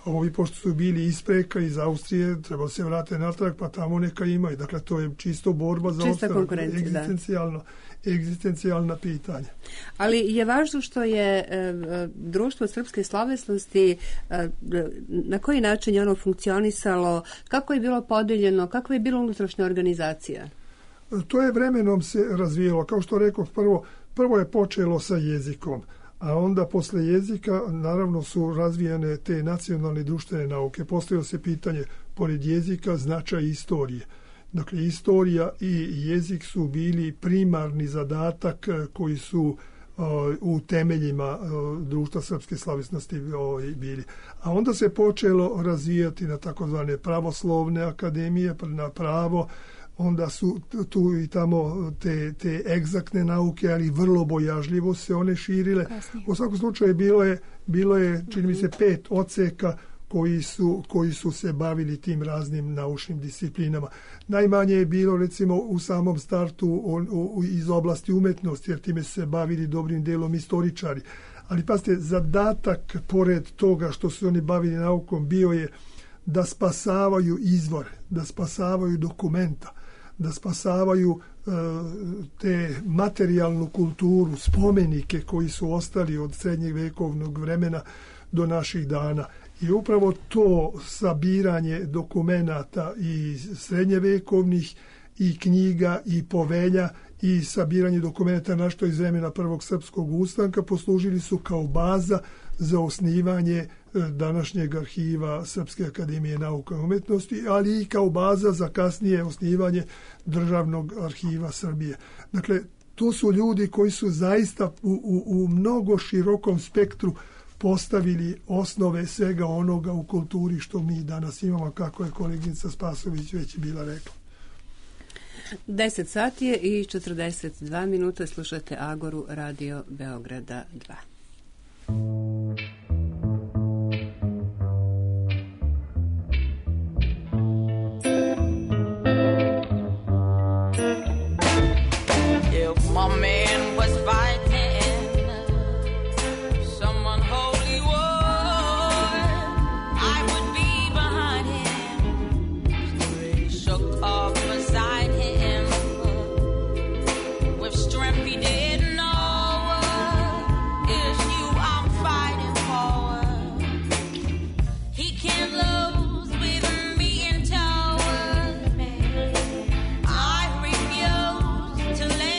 ovi pošto su bili iz Preka, iz Austrije, trebalo se vrate natrag, pa tamo neka imaju. Dakle, to je čisto borba za opstanak, egzistencijalno, egzistencijalna pitanja.
Ali je važno što je e, društvo srpske slovesnosti, e, na koji način je ono funkcionisalo, kako je bilo podeljeno, kakva je bila unutrašnja organizacija?
To je vremenom se razvijelo. Kao što rekao, prvo, prvo je počelo sa jezikom, a onda posle jezika naravno su razvijene te nacionalne društvene nauke. Postavilo se pitanje, pored jezika, značaj istorije. Dakle, istorija i jezik su bili primarni zadatak koji su uh, u temeljima uh, društva srpske slovesnosti uh, bili. A onda se počelo razvijati na takozvane pravoslovne akademije, na pravo, onda su tu i tamo te, te egzaktne nauke, ali vrlo bojažljivo se one širile. Kasnije. U svakom slučaju bilo je, bilo je čini mi se, pet odseka koji su, koji su se bavili tim raznim naučnim disciplinama. Najmanje je bilo, recimo, u samom startu on, u, iz oblasti umetnosti, jer time su se bavili dobrim delom istoričari. Ali pazite, zadatak pored toga što su oni bavili naukom bio je da spasavaju izvore, da spasavaju dokumenta, da spasavaju e, te materijalnu kulturu, spomenike koji su ostali od srednjeg vekovnog vremena do naših dana. I upravo to sabiranje dokumenata i srednjevekovnih i knjiga i povelja i sabiranje dokumenta našto iz vremena prvog srpskog ustanka poslužili su kao baza za osnivanje današnjeg arhiva Srpske akademije nauka i umetnosti, ali i kao baza za kasnije osnivanje Državnog arhiva Srbije. Dakle, to su ljudi koji su zaista u, u, u mnogo širokom spektru postavili osnove svega onoga u kulturi što mi danas imamo, kako je koleginica Spasović već bila rekla.
deset sati je i četrdeset dva minuta, slušate Agoru Radio Beograda dva.
My man was fighting someone holy war, I would be behind him, shook off beside him, with strength he didn't know, it's you I'm fighting for, he can't lose with me in tow, I refuse to let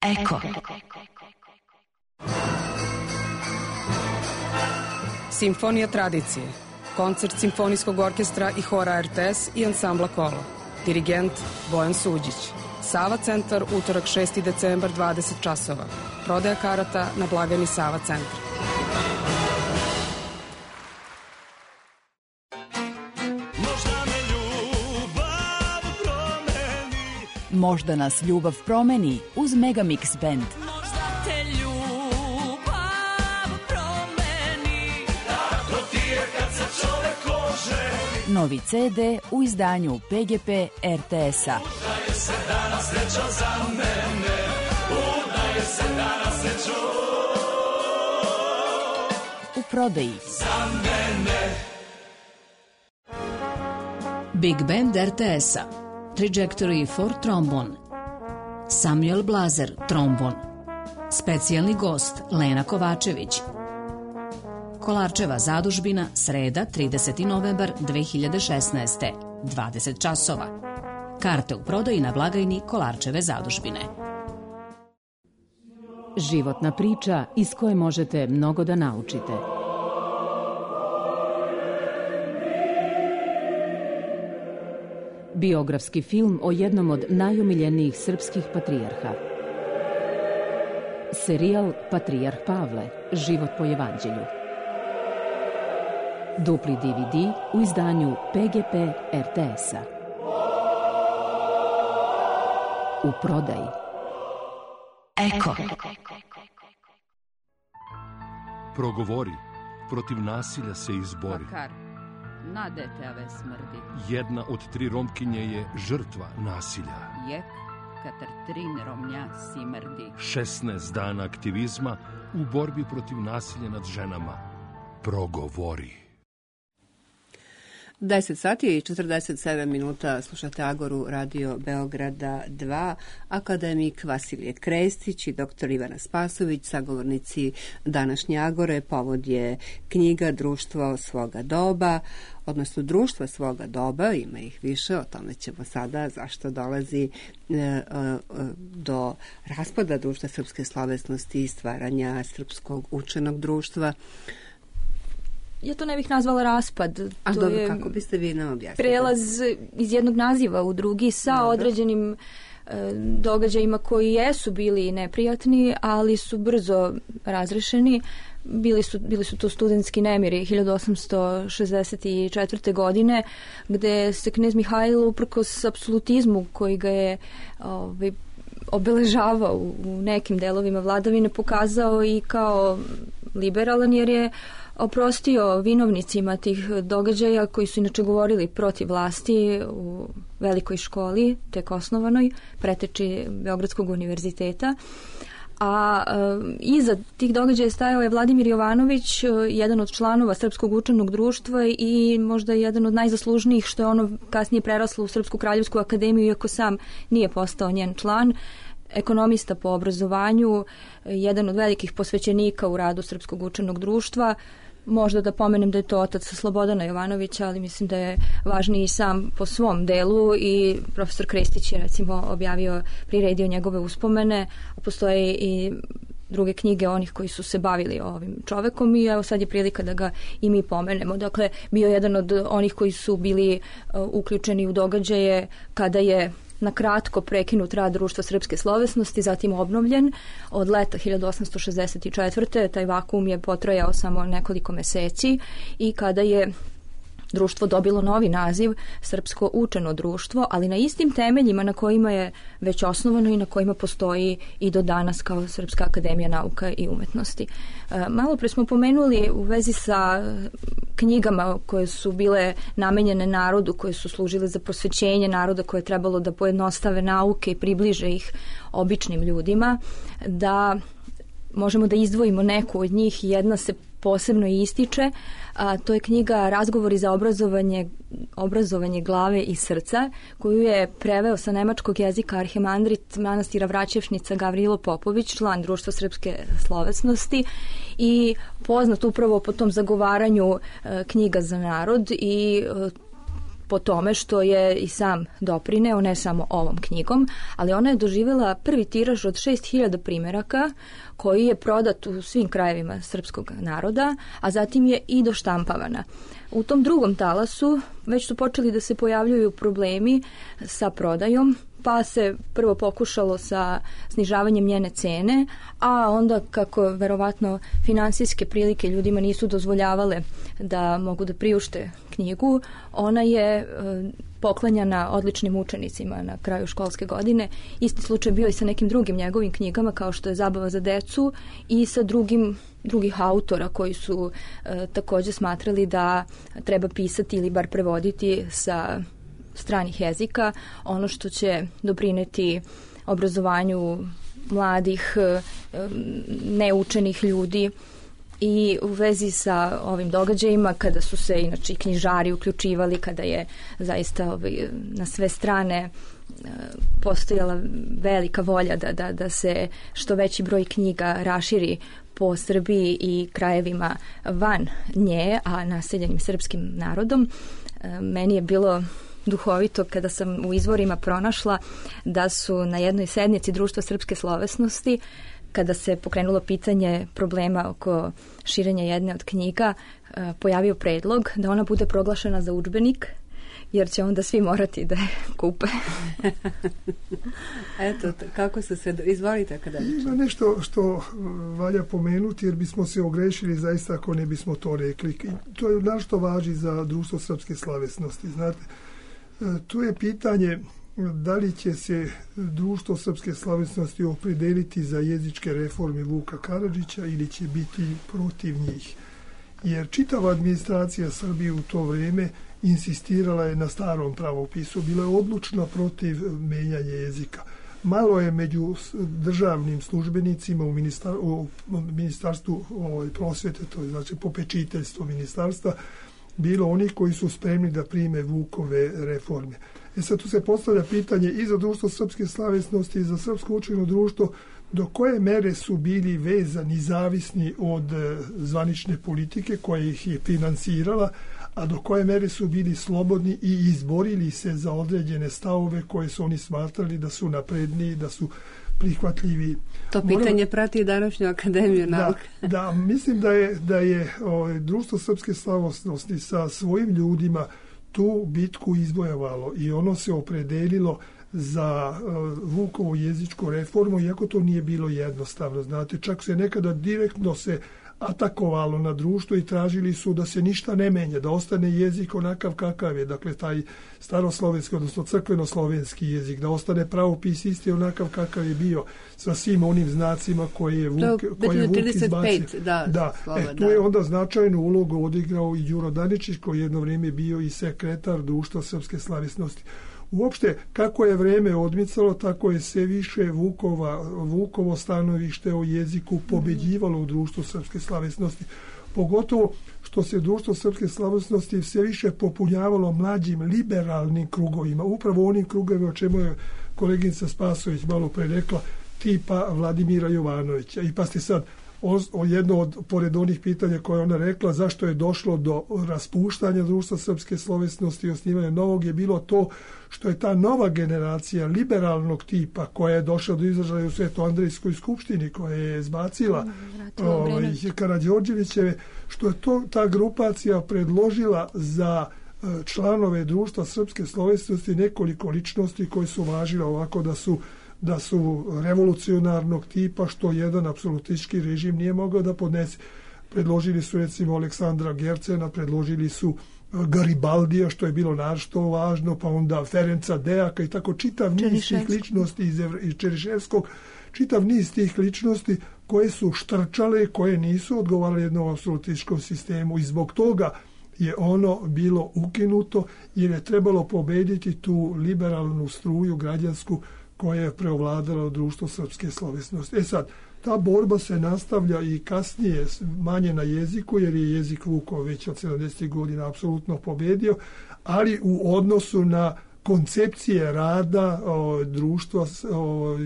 Eko. Simfonija tradicije. Koncert Simfonijskog orkestra i hora R T S i ansambla Kolo. Dirigent Bojan Suđić. Sava centar, utorak šesti decembar, dvadeset časova. Prodaja karata na blagajni Sava centra.
Možda nas ljubav promeni uz Megamix Band.
Možda te ljubav promeni, tako ti je kad se čovek oženi.
Novi ce de u izdanju pe ge pe er te es-a.
Udaje se danas sreća za mene, udaje se danas srećo
u prodaji.
za mene.
Big Band er te es-a, Trajectory for Trombone, Samuel Blazer, trombon, specijalni gost Lena Kovačević. Kolarčeva zadužbina, sreda, trideseti novembar dve hiljade šesnaeste, dvadeset časova. Karte u prodaji na blagajni Kolarčeve zadužbine.
Životna priča iz koje možete mnogo da naučite. Biografski film o jednom od najomiljenijih srpskih patrijarha. Serijal Patrijarh Pavle, život po evanđelju. Dupli de ve de u izdanju pe ge pe er te es-a. U prodaji.
Eko.
Progovori, protiv nasilja se izbori.
Makar, na deteve smrdi.
Jedna od tri Romkinje je žrtva nasilja.
Jek, katar trin Romnja simrdi.
šesnaest dana aktivizma u borbi protiv nasilja nad ženama. Progovori.
deset sati i četrdeset sedam minuta slušate Agoru Radio Beograda dva, akademik Vasilije Krestić i doktor Ivana Spasović, sagovornici današnje Agore. Povod je knjiga Društvo svoga doba, odnosno Društva svoga doba, ima ih više, o tome ćemo sada, zašto dolazi e, e, do raspada Društva srpske slovesnosti i stvaranja Srpskog učenog društva.
Ja to ne bih nazvala raspad.
A
to
dobro,
je
kako biste vi nam objasnili?
Prelaz iz jednog naziva u drugi sa dobro. određenim e, događajima koji jesu bili neprijatni, ali su brzo razrešeni. Bili su, bili su to studentski nemiri hiljadu osamsto šezdeset četvrte. godine, gde se knez Mihajlo uprkos apsolutizmu koji ga je ovaj, obeležavao u nekim delovima vladavine pokazao i kao liberalan, jer je oprostio vinovnicima tih događaja koji su inače govorili protiv vlasti u velikoj školi, tek osnovanoj, preteči Beogradskog univerziteta. A e, iza tih događaja stajao je Vladimir Jovanović, jedan od članova Srpskog učenog društva i možda jedan od najzaslužnijih, što je ono kasnije preraslo u Srpsku kraljevsku akademiju, iako sam nije postao njen član. Ekonomista po obrazovanju, jedan od velikih posvećenika u radu Srpskog učenog društva. Možda da pomenem da je to otac Slobodana Jovanovića, ali mislim da je važniji i sam po svom delu i profesor Krestić je recimo objavio, priredio njegove uspomene, a postoje i druge knjige onih koji su se bavili ovim čovekom i evo sad je prilika da ga i mi pomenemo. Dakle, bio jedan od onih koji su bili uh, uključeni u događaje kada je na kratko prekinut rad Društva srpske slovesnosti, zatim obnovljen od leta hiljadu osamsto šezdeset četvrte. Taj vakuum je potrajao samo nekoliko meseci i kada je društvo dobilo novi naziv Srpsko učeno društvo, ali na istim temeljima na kojima je već osnovano i na kojima postoji i do danas kao Srpska akademija nauka i umetnosti. Malo pre smo pomenuli u vezi sa knjigama koje su bile namenjene narodu, koje su služile za prosvećenje naroda, koje je trebalo da pojednostave nauke i približe ih običnim ljudima, da možemo da izdvojimo neku od njih. Jedna se posebno ističe, a to je knjiga Razgovori za obrazovanje, obrazovanje glave i srca, koju je preveo sa nemačkog jezika arhimandrit manastira Vraćevšnica Gavrilo Popović, član Društva srpske slovesnosti i poznat upravo po tom zagovaranju e, knjiga za narod i e, po tome što je i sam doprineo, ne samo ovom knjigom, ali ona je doživjela prvi tiraž od šest hiljada primjeraka koji je prodat u svim krajevima srpskog naroda, a zatim je i doštampavana. U tom drugom talasu već su počeli da se pojavljuju problemi sa prodajom, pa se prvo pokušalo sa snižavanjem njene cene, a onda kako verovatno finansijske prilike ljudima nisu dozvoljavale da mogu da priušte knjigu, ona je poklanjana odličnim učenicima na kraju školske godine. Isti slučaj bio i sa nekim drugim njegovim knjigama kao što je Zabava za decu i sa drugim drugih autora koji su e, također smatrali da treba pisati ili bar prevoditi sa stranih jezika ono što će doprineti obrazovanju mladih, e, neučenih ljudi. I u vezi sa ovim događajima, kada su se inače knjižari uključivali, kada je zaista ovaj, na sve strane e, postojala velika volja da, da, da se što veći broj knjiga raširi po Srbiji i krajevima van nje, a naseljenim srpskim narodom, e, meni je bilo duhovito kada sam u izvorima pronašla da su na jednoj sednici Društva srpske slovesnosti, kada se pokrenulo pitanje problema oko širenja jedne od knjiga, pojavio predlog da ona bude proglašena za udžbenik, jer će onda svi morati da je kupe.
Eto, kako se se... Izvolite akademiče.
Ima nešto što valja pomenuti, jer bismo se ogrešili zaista ako ne bismo to rekli. To je našto važi za Društvo srpske slavesnosti. Znate, tu je pitanje da li će se Društvo srpske slavesnosti opredeliti za jezičke reforme Vuka Karadžića ili će biti protiv njih. Jer čitava administracija Srbije u to vrijeme insistirala je na starom pravopisu, bila je odlučna protiv menjanja jezika. Malo je među državnim službenicima u, ministar, u ministarstvu ovaj, prosvete, to je znači popečiteljstvo ministarstva, bilo onih koji su spremni da prime Vukove reforme. E sad tu se postavlja pitanje i za Društvo srpske slavesnosti i za Srpsko učeno društvo, do koje mere su bili vezani, zavisni od e, zvanične politike koja ih je finansirala, a do koje mere su bili slobodni i izborili se za određene stavove koje su oni smatrali da su napredniji, da su prihvatljivi.
To pitanje Moram... prati današnju Akademiju nauke.
Da, da, mislim da je, da je o, Društvo srpske slavesnosti sa svojim ljudima tu bitku izvojevalo i ono se opredelilo za uh, Vukovu jezičku reformu, iako to nije bilo jednostavno. Znate, čak se nekada direktno se atakovalo na društvo i tražili su da se ništa ne menja, da ostane jezik onakav kakav je, dakle taj staroslovenski, odnosno crkvenoslovenski jezik, da ostane pravopis isti onakav kakav je bio, sa svim onim znacima koje je Vuk, koje je Vuk izbacio.
Da,
da.
slova,
E, tu je onda značajnu ulogu odigrao i Đuro Daničić, koji je jedno vrijeme bio i sekretar Društva srpske slavesnosti. Uopšte, kako je vreme odmicalo, tako je sve više Vukova, Vukovo stanovište o jeziku pobeđivalo u Društvu srpske slavesnosti. Pogotovo što se Društvo srpske slavesnosti sve više popunjavalo mlađim liberalnim krugovima, upravo onim krugovima o čemu je koleginica Spasović malo pre rekla, tipa Vladimira Jovanovića. I pa ste sad, o, o jedno od, pored onih pitanja koje ona rekla, zašto je došlo do raspuštanja Društva srpske slovesnosti i osnivanja novog, je bilo to što je ta nova generacija liberalnog tipa koja je došla do izražaja u Sveto-Andrejskoj skupštini, koja je zbacila ovaj, Karađorđevićeve, što je to, ta grupacija predložila za članove Društva srpske slovesnosti nekoliko ličnosti koje su važile ovako da su da su revolucionarnog tipa, što jedan apsolutistički režim nije mogao da podnese. Predložili su recimo Aleksandra Gercena, predložili su Garibaldija, što je bilo naročito važno, pa onda Ferenca Dejaka i tako čitav niz tih ličnosti iz, iz Čeriševskog, čitav niz tih ličnosti koje su štrčale, koje nisu odgovarale jednom apsolutističkom sistemu i zbog toga je ono bilo ukinuto jer je trebalo pobediti tu liberalnu struju građansku koja je preovladala u Društvu srpske slovesnosti. E sad, ta borba se nastavlja i kasnije manje na jeziku, jer je jezik Vukov već od sedamdesetih godina apsolutno pobedio, ali u odnosu na koncepcije rada o, društva o,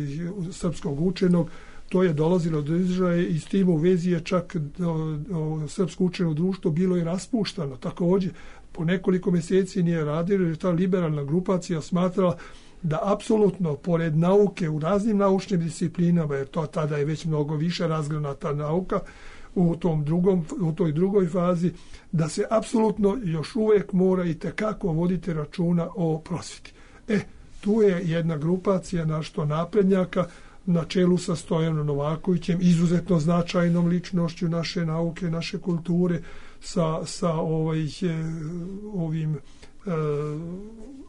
srpskog učenog, to je dolazilo do izražaja i s tim u vezi je čak o, o, srpsko učeno društvo bilo i raspuštano. Također, po nekoliko mjeseci nije radilo, jer ta liberalna grupacija smatrala da apsolutno, pored nauke u raznim naučnim disciplinama, jer to tada je već mnogo više razgranata nauka u, tom drugom, u toj drugoj fazi, da se apsolutno još uvijek mora i tekako voditi računa o prosvjeti. E, tu je jedna grupacija našto naprednjaka na čelu sa Stojanom Novakovićem, izuzetno značajnom ličnošću naše nauke, naše kulture, sa, sa ovaj, ovim eh,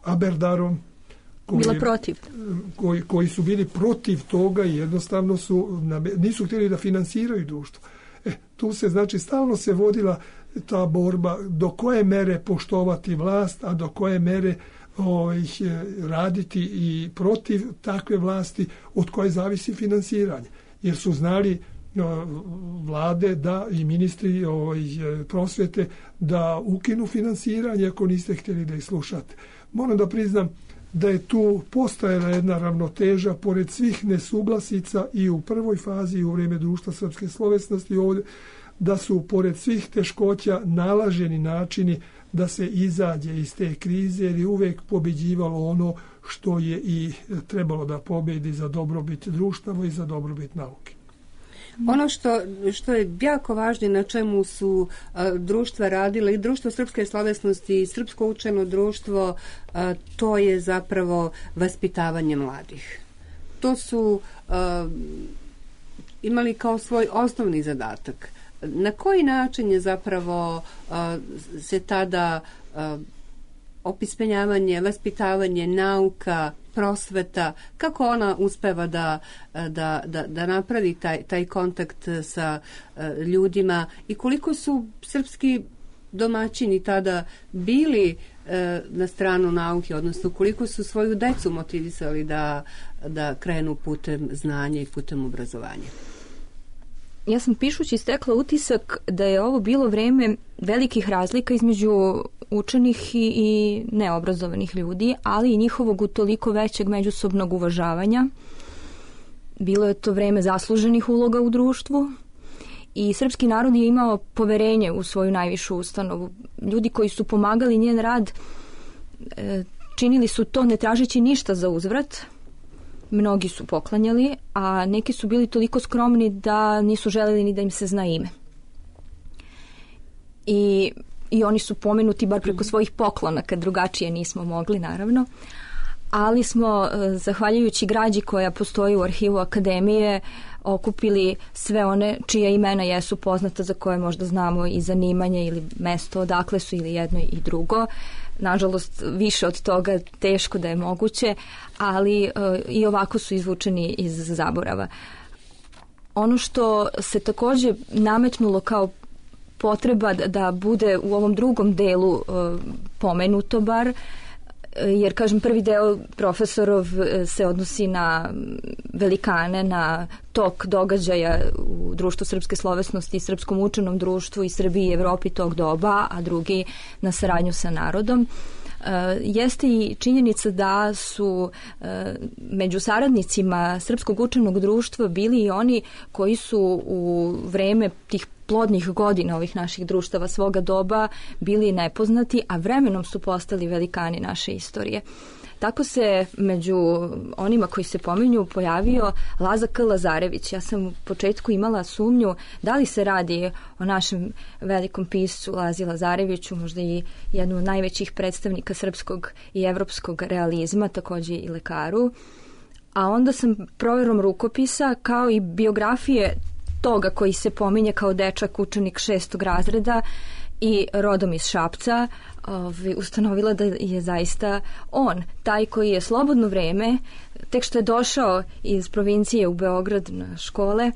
Aberdarom,
Bila protiv.
Koji, koji su bili protiv toga i jednostavno su, nisu htjeli da finansiraju društvo. E, tu se, znači, stalno se vodila ta borba do koje mere poštovati vlast, a do koje mere ovaj, raditi i protiv takve vlasti od koje zavisi finansiranje. Jer su znali vlade da i ministri ovaj, prosvete da ukinu finansiranje ako niste htjeli da ih slušate. Moram da priznam da je tu postojala jedna ravnoteža pored svih nesuglasica i u prvoj fazi i u vrijeme Društva srpske slovesnosti ovdje, da su pored svih teškoća nalaženi načini da se izađe iz te krize, jer je uvijek pobeđivalo ono što je i trebalo da pobedi za dobrobit društava i za dobrobit nauke.
Ono što, što je jako važno na čemu su a, društva radile, i Društvo srpske slovesnosti i Srpsko učeno društvo, a, to je zapravo vaspitavanje mladih. To su a, imali kao svoj osnovni zadatak. Na koji način je zapravo a, se tada a, opismenjavanje, vaspitavanje, nauka, prosveta, kako ona uspeva da, da, da, da napravi taj, taj kontakt sa ljudima i koliko su srpski domaćini tada bili na stranu nauke, odnosno koliko su svoju decu motivisali da, da krenu putem znanja i putem obrazovanja.
Ja sam pišući stekla utisak da je ovo bilo vreme velikih razlika između učenih i, i neobrazovanih ljudi, ali i njihovog utoliko većeg međusobnog uvažavanja. Bilo je to vreme zasluženih uloga u društvu i srpski narod je imao poverenje u svoju najvišu ustanovu. Ljudi koji su pomagali njen rad činili su to ne tražeći ništa za uzvrat. Mnogi su poklanjali, a neki su bili toliko skromni da nisu želeli ni da im se zna ime. I, i oni su pomenuti bar preko svojih poklona, kad drugačije nismo mogli, naravno. Ali smo, zahvaljujući građi koja postoji u arhivu Akademije, okupili sve one čija imena jesu poznata, za koje možda znamo i zanimanje ili mesto odakle su ili jedno i drugo. Nažalost, više od toga teško da je moguće, ali uh, i ovako su izvučeni iz zaborava. Ono što se također nametnulo kao potreba da, da bude u ovom drugom delu uh, pomenuto bar, jer, kažem, prvi deo profesorov se odnosi na velikane, na tok događaja u Društvu srpske slovesnosti i Srpskom učenom društvu i Srbiji i Evropi tog doba, a drugi na saradnju sa narodom. Jeste i činjenica da su među saradnicima Srpskog učenog društva bili i oni koji su u vreme tih plodnih godina ovih naših društava svoga doba bili nepoznati, a vremenom su postali velikani naše istorije. Tako se među onima koji se pominju pojavio Laza K. Lazarević. Ja sam u početku imala sumnju da li se radi o našem velikom piscu Lazi Lazareviću, možda i jednom od najvećih predstavnika srpskog i evropskog realizma, također i lekaru. A onda sam provjerom rukopisa kao i biografije toga koji se pominje kao dečak učenik šestog razreda i rodom iz Šapca, ustanovila da je zaista on taj koji je slobodno vreme, tek što je došao iz provincije u Beograd na škole,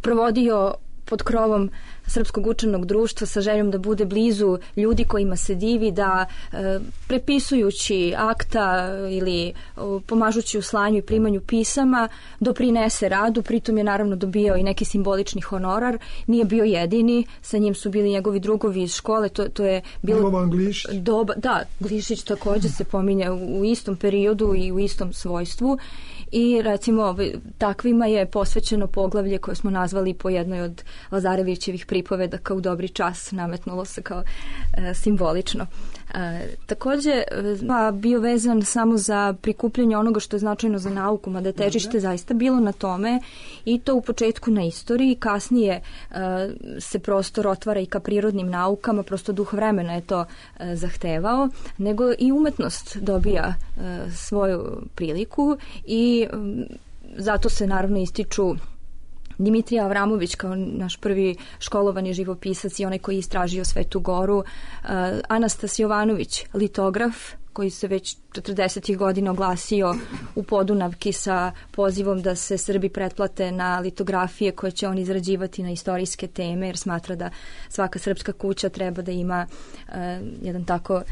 provodio pod krovom Srpskog učenog društva sa željom da bude blizu ljudi kojima se divi, da e, prepisujući akta ili o, pomažući u slanju i primanju pisama doprinese radu, pritom je naravno dobijao i neki simbolični honorar. Nije bio jedini, sa njim su bili njegovi drugovi iz škole, to, to je bilo doba, da, Glišić također se pominje u, u istom periodu i u istom svojstvu. I recimo takvima je posvećeno poglavlje koje smo nazvali po jednoj od Lazarevićevih pripovedaka u dobri čas, nametnulo se kao e, simbolično. E, takođe, pa bio vezan samo za prikupljanje onoga što je značajno za nauku, mada je težište zaista bilo na tome i to u početku na istoriji, kasnije e, se prostor otvara i ka prirodnim naukama, prosto duh vremena je to e, zahtevao, nego i umetnost dobija e, svoju priliku i e, zato se naravno ističu Dimitrija Avramović kao naš prvi školovani živopisac i onaj koji je istražio Svetu Goru, uh, Anastas Jovanović, litograf, koji se već četrdesetih godina oglasio u Podunavki sa pozivom da se Srbi pretplate na litografije koje će on izrađivati na istorijske teme, jer smatra da svaka srpska kuća treba da ima uh, jedan tako uh,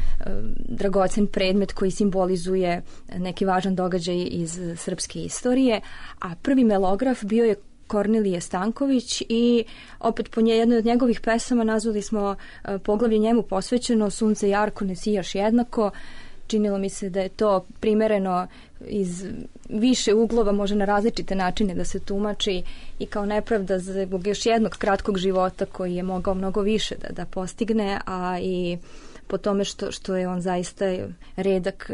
dragocen predmet koji simbolizuje neki važan događaj iz srpske istorije. A prvi melograf bio je Kornelije Stanković i opet po nje, jednoj od njegovih pesama nazvali smo uh, poglavlje njemu posvećeno Sunce jarko, ne sijaš jednako. Činilo mi se da je to primereno iz više uglova, može na različite načine da se tumači i kao nepravda zbog još jednog kratkog života koji je mogao mnogo više da, da postigne, a i po tome što, što je on zaista redak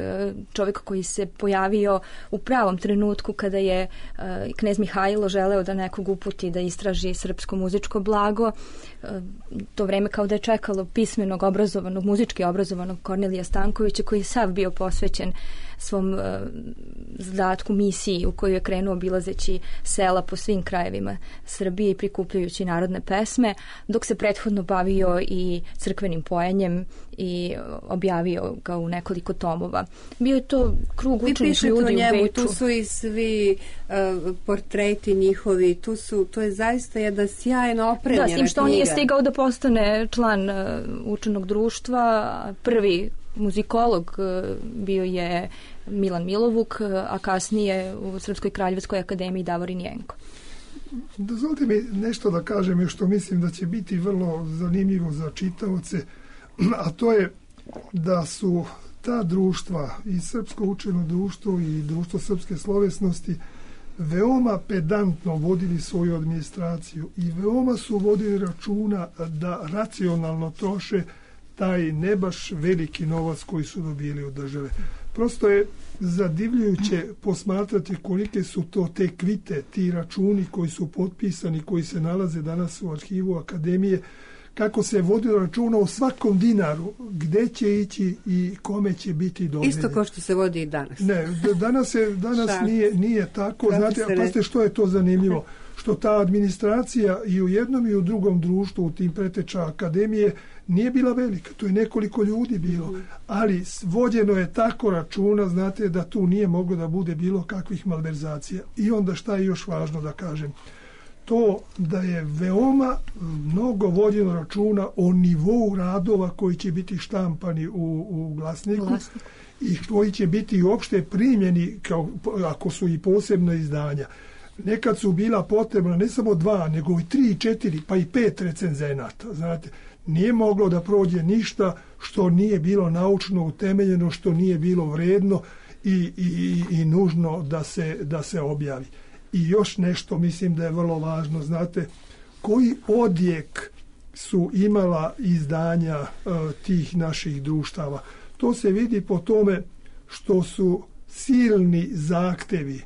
čovjek koji se pojavio u pravom trenutku kada je uh, knez Mihajlo želeo da nekog uputi da istraži srpsko muzičko blago. Uh, to vreme kao da je čekalo pismenog, obrazovanog, muzički obrazovanog Kornelija Stankovića koji je sav bio posvećen svom uh, zadatku, misiji u koju je krenuo obilazeći sela po svim krajevima Srbije i prikupljajući narodne pesme, dok se prethodno bavio i crkvenim pojenjem i objavio ga u nekoliko tomova. Bio je to krug učenih ljudi u njemu, Beču.
Tu su i svi uh, portreti njihovi, tu su, to je zaista jedna sjajno opremljena knjiga. Da, s tim što on je stigao da postane član uh, učenog društva, prvi muzikolog uh, bio je Milan Milovuk, uh, a kasnije u Srpskoj kraljevskoj akademiji Davorin Jenko.
Dozvolite mi nešto da kažem još što mislim da će biti vrlo zanimljivo za čitaoce, a to je da su ta društva, i Srpsko učeno društvo i Društvo srpske slovesnosti, veoma pedantno vodili svoju administraciju i veoma su vodili računa da racionalno troše taj ne baš veliki novac koji su dobili od države. Prosto je zadivljujuće posmatrati kolike su to te kvite, ti računi koji su potpisani, koji se nalaze danas u arhivu Akademije, kako se vodilo računa o svakom dinaru, gde će ići i kome će biti dodijeljen.
Isto kao što se vodi i danas.
Ne, danas, je, danas nije, nije tako. Znate, a pazite što je to zanimljivo. Što ta administracija i u jednom i u drugom društvu, u tim preteča Akademije, nije bila velika. To je nekoliko ljudi bilo. Ali vođeno je tako računa, znate, da tu nije moglo da bude bilo kakvih malverzacija. I onda šta je još važno da kažem? To da je veoma mnogo vođeno računa o nivou radova koji će biti štampani u, u glasniku Glasnik. I koji će biti uopšte primljeni kao, ako su i posebna izdanja. Nekad su bila potrebna ne samo dva, nego i tri, četiri, pa i pet recenzenata. Znate, nije moglo da prođe ništa što nije bilo naučno utemeljeno, što nije bilo vredno i, i, i nužno da se, da se objavi. I još nešto mislim da je vrlo važno, znate, koji odjek su imala izdanja uh, tih naših društava. To se vidi po tome što su silni zahtevi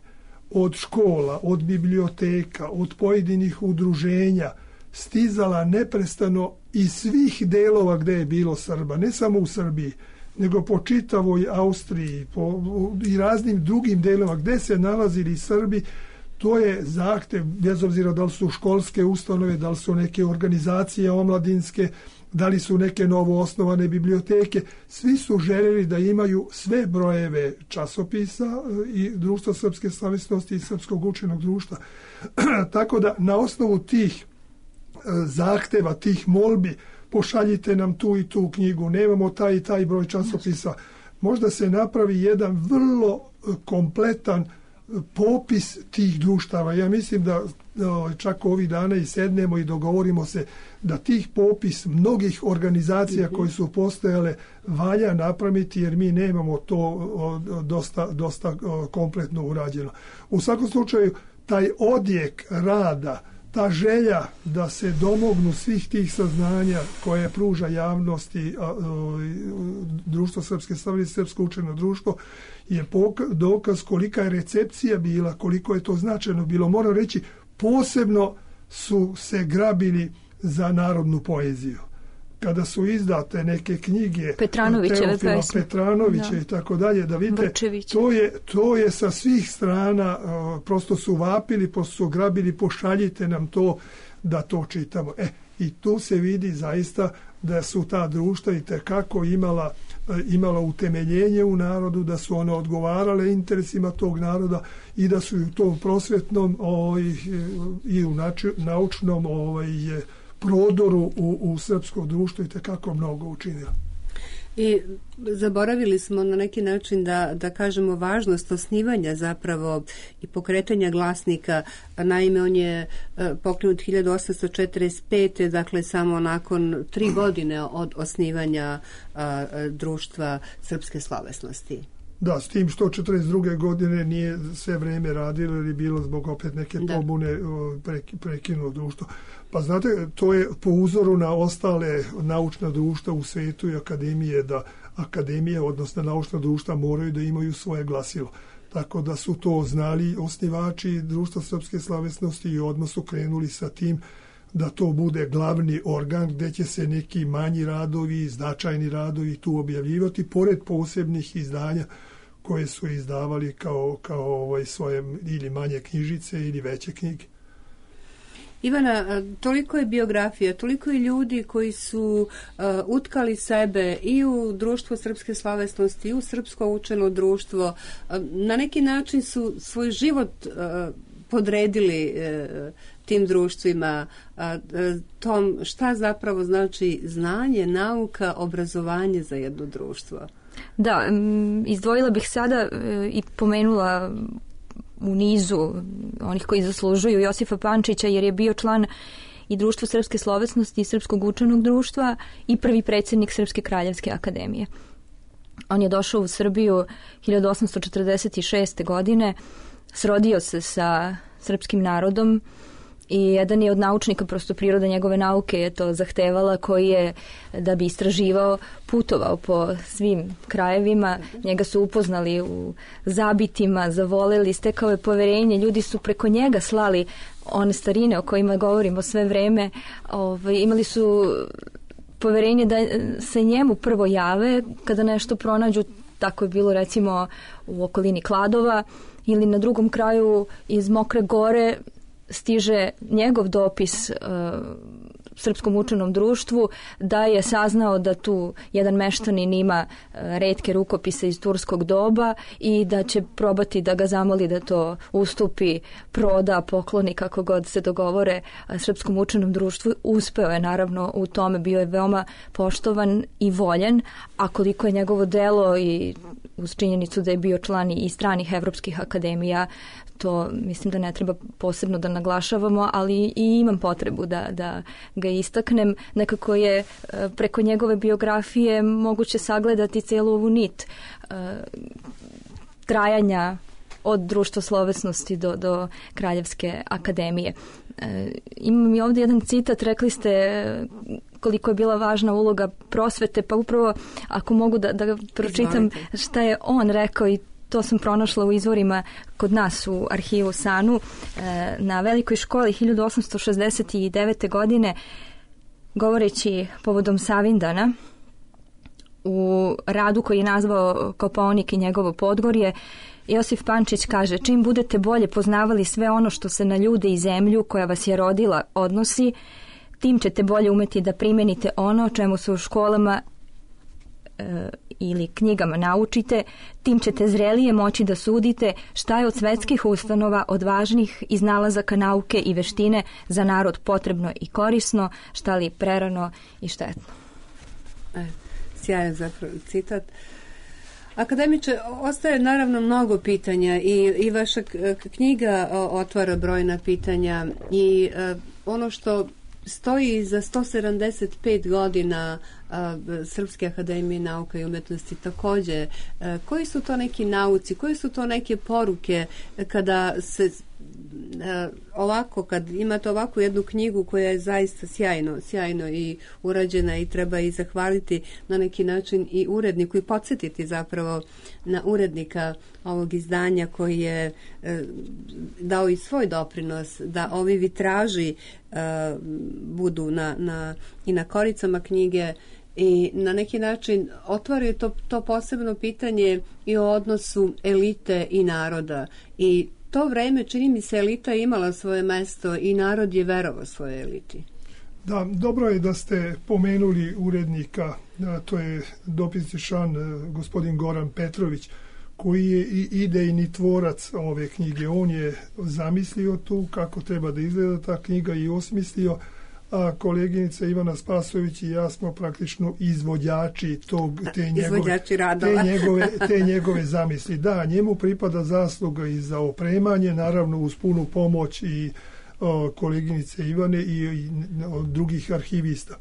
od škola, od biblioteka, od pojedinih udruženja stizala neprestano iz svih delova gde je bilo Srba, ne samo u Srbiji, nego po čitavoj Austriji po, i raznim drugim delima gde se nalazili Srbi. To je zahtev, bez obzira da li su školske ustanove, da li su neke organizacije omladinske, da li su neke novo osnovane biblioteke. Svi su željeli da imaju sve brojeve časopisa i Društva srpske slovesnosti i Srpskog učenog društva. Tako da na osnovu tih zahteva, tih molbi, pošaljite nam tu i tu knjigu, nemamo taj i taj broj časopisa. Možda se napravi jedan vrlo kompletan popis tih društava. Ja mislim da čak ovih dana i sednemo i dogovorimo se da tih popis mnogih organizacija koje su postojale valja napraviti, jer mi nemamo to dosta, dosta kompletno urađeno. U svakom slučaju, taj odjek rada ta želja da se domognu svih tih saznanja koje pruža javnosti a, a, društvo srpske slavnosti, srpsko učeno društvo, je poka- dokaz kolika je recepcija bila, koliko je to značajno bilo. Moram reći, posebno su se grabili za narodnu poeziju. Kada su izdate neke knjige
Petranovićeve pesme,
Petranovića i tako dalje, da vidite, to je, to je sa svih strana, uh, prosto su vapili, prosto su grabili, pošaljite nam to da to čitamo. E, i tu se vidi zaista da su ta društva i tekako imala, uh, imala utemeljenje u narodu, da su one odgovarale interesima tog naroda i da su u tom prosvetnom ovaj, i u nači, naučnom ovaj, prodoru u, u srpsko društvo i tekako mnogo učinila.
I zaboravili smo na neki način da, da kažemo važnost osnivanja zapravo i pokretanja glasnika. Naime, on je pokrenut hiljadu osamsto četrdeset pete. dakle samo nakon tri godine od osnivanja a, društva srpske slovesnosti.
Da, s tim što četrdeset druge godine nije sve vreme radilo jer je bilo zbog opet neke da. pobune prekinulo društvo. Pa znate, to je po uzoru na ostale naučna društva u svetu i akademije, da akademije, odnosno naučna društva, moraju da imaju svoje glasilo. Tako da su to znali osnivači društva srpske slovesnosti i odmah su krenuli sa tim da to bude glavni organ gdje će se neki manji radovi, značajni radovi tu objavljivati, pored posebnih izdanja koje su izdavali kao, kao ovaj svoje ili manje knjižice ili veće knjige.
Ivana, toliko je biografija, toliko je ljudi koji su uh, utkali sebe i u društvo srpske slovesnosti i u srpsko učeno društvo. Uh, na neki način su svoj život uh, podredili uh, tim društvima, uh, tom šta zapravo znači znanje, nauka, obrazovanje za jedno društvo.
Da, izdvojila bih sada i pomenula u nizu onih koji zaslužuju Josifa Pančića, jer je bio član i društva srpske slovesnosti i srpskog učenog društva i prvi predsjednik Srpske kraljevske akademije. On je došao u Srbiju hiljadu osamsto četrdeset šeste. godine, srodio se sa srpskim narodom i jedan je od naučnika, prosto priroda njegove nauke je to zahtevala, koji je, da bi istraživao, putovao po svim krajevima. Njega su upoznali u zabitima, zavoleli, stekao je poverenje. Ljudi su preko njega slali one starine o kojima govorimo sve vreme. Ovaj, imali su poverenje da se njemu prvo jave kada nešto pronađu. Tako je bilo recimo u okolini Kladova ili na drugom kraju iz Mokre Gore stiže njegov dopis uh, Srpskom učenom društvu da je saznao da tu jedan meštanin ima uh, retke rukopise iz turskog doba i da će probati da ga zamoli da to ustupi, proda, pokloni, kako god se dogovore uh, Srpskom učenom društvu. Uspeo je naravno u tome, bio je veoma poštovan i voljen, a koliko je njegovo delo i uz činjenicu da je bio član i stranih evropskih akademija, to mislim da ne treba posebno da naglašavamo, ali i imam potrebu da, da ga istaknem. Nekako je preko njegove biografije moguće sagledati cijelu ovu nit uh, trajanja od društva slovesnosti do, do Kraljevske akademije. Uh, imam i ovdje jedan citat, rekli ste koliko je bila važna uloga prosvete, pa upravo ako mogu da, da pročitam šta je on rekao, i to sam pronašla u izvorima kod nas u arhivu Sanu. Na Velikoj školi hiljadu osamsto šezdeset devete. godine, govoreći povodom Savindana, u radu koji je nazvao Kopaonik i njegovo Podgorje, Josif Pančić kaže: čim budete bolje poznavali sve ono što se na ljude i zemlju koja vas je rodila odnosi, tim ćete bolje umeti da primenite ono čemu se u školama e, ili knjigama naučite, tim ćete zrelije moći da sudite šta je od svetskih ustanova, od važnih iznalazaka nauke i veštine za narod potrebno i korisno, šta li prerano i štetno.
E, sjajan zapravo citat. Akademiče, ostaje naravno mnogo pitanja i, i vaša knjiga otvara brojna pitanja i uh, ono što stoji za sto sedamdeset pet godina uh, Srpske akademije nauka i umetnosti također. Uh, koji su to neki nauci, koje su to neke poruke kada se ovako, kad imate ovakvu jednu knjigu koja je zaista sjajno, sjajno i urađena i treba i zahvaliti na neki način i uredniku i podsjetiti zapravo na urednika ovog izdanja koji je e, dao i svoj doprinos da ovi vitraži e, budu na, na, i na koricama knjige i na neki način otvaraju to, to posebno pitanje i o odnosu elite i naroda. I to vreme, čini mi se, elita je imala svoje mesto i narod je verovao svojoj eliti.
Da, dobro je da ste pomenuli urednika, to je dopisni član gospodin Goran Petrović, koji je i idejni tvorac ove knjige. On je zamislio tu kako treba da izgleda ta knjiga i osmislio, a koleginica Ivana Spasović i ja smo praktično izvođači tog, te, njegove, te, njegove, te njegove zamisli. Da, njemu pripada zasluga i za opremanje, naravno uz punu pomoć i o, koleginice Ivane i, i o, drugih arhivista.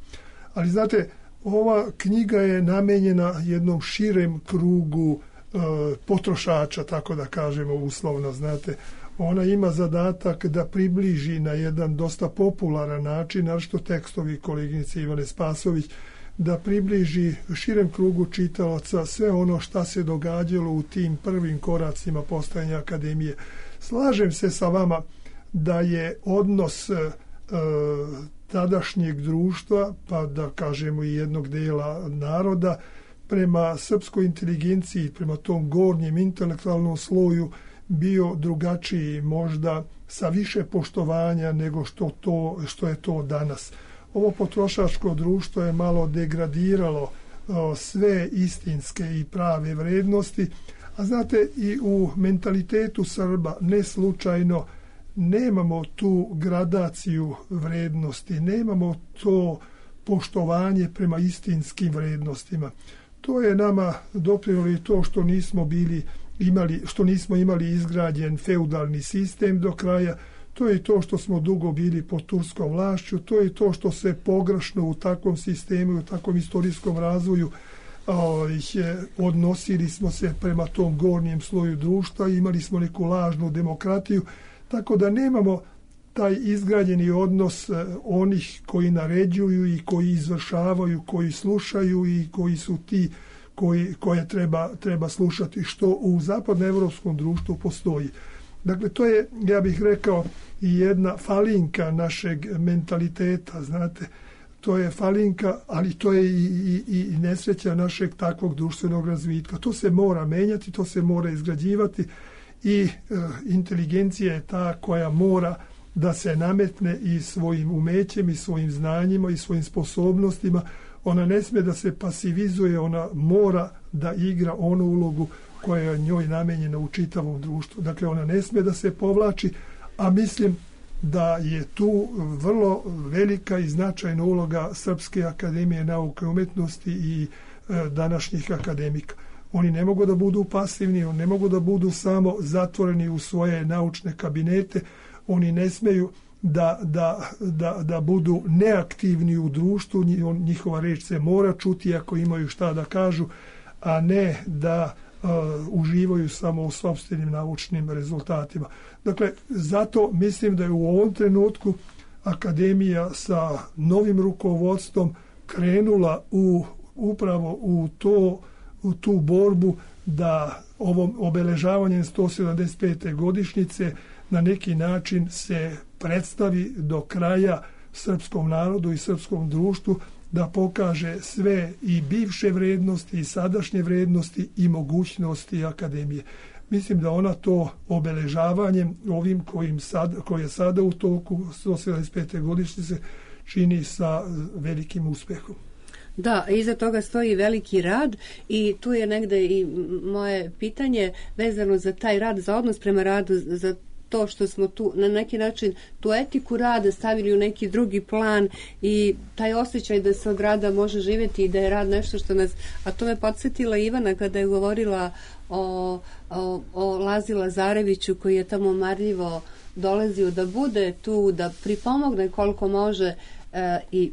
Ali znate, ova knjiga je namenjena jednom širem krugu o, potrošača, tako da kažemo uslovno, znate. Ona ima zadatak da približi na jedan dosta popularan način, našto tekstovi koleginice Ivane Spasović, da približi širem krugu čitalaca sve ono šta se događalo u tim prvim koracima postojanja akademije. Slažem se sa vama da je odnos e, tadašnjeg društva, pa da kažemo i jednog dela naroda, prema srpskoj inteligenciji, prema tom gornjem intelektualnom sloju, bio drugačiji, možda sa više poštovanja nego što, to, što je to danas. Ovo potrošačko društvo je malo degradiralo o, sve istinske i prave vrednosti, a znate, i u mentalitetu Srba ne slučajno nemamo tu gradaciju vrednosti, nemamo to poštovanje prema istinskim vrednostima. To je nama doprinjelo i to što nismo bili imali, što nismo imali izgrađen feudalni sistem do kraja, to je to što smo dugo bili pod turskom vlašću, to je to što se pogrešno u takvom sistemu, u takvom istorijskom razvoju o, je, odnosili smo se prema tom gornjem sloju društva, imali smo neku lažnu demokratiju, tako da nemamo taj izgrađeni odnos onih koji naređuju i koji izvršavaju, koji slušaju i koji su ti koji, koje treba, treba slušati, što u zapadnoevropskom društvu postoji. Dakle, to je, ja bih rekao, i jedna falinka našeg mentaliteta, znate, to je falinka, ali to je i, i, i nesreća našeg takvog društvenog razvitka. To se mora menjati, to se mora izgrađivati i e, inteligencija je ta koja mora da se nametne i svojim umećem i svojim znanjima i svojim sposobnostima. Ona ne smije da se pasivizuje, ona mora da igra onu ulogu koja je njoj namenjena u čitavom društvu. Dakle, ona ne smije da se povlači, a mislim da je tu vrlo velika i značajna uloga Srpske akademije nauke i umetnosti i e, današnjih akademika. Oni ne mogu da budu pasivni, oni ne mogu da budu samo zatvoreni u svoje naučne kabinete, oni ne smeju da, da, da, da budu neaktivni u društvu, njihova reč se mora čuti ako imaju šta da kažu, a ne da uh, uživaju samo u sopstvenim naučnim rezultatima. Dakle, zato mislim da je u ovom trenutku akademija sa novim rukovodstvom krenula u, upravo u, to, u tu borbu da ovom obeležavanjem sto sedamdeset pete godišnjice na neki način se predstavi do kraja srpskom narodu i srpskom društvu, da pokaže sve i bivše vrednosti i sadašnje vrednosti i mogućnosti akademije. Mislim da ona to obeležavanjem ovim kojim sad, koje je sada u toku sto sedamdeset pete godišnjice čini sa velikim uspehom.
Da, iza toga stoji veliki rad i tu je negde i moje pitanje vezano za taj rad, za odnos prema radu, za to što smo tu na neki način tu etiku rada stavili u neki drugi plan i taj osjećaj da se od rada može živjeti i da je rad nešto što nas, a to me podsjetila Ivana kada je govorila o, o, o Lazi Lazareviću koji je tamo marljivo dolazio da bude tu, da pripomogne koliko može i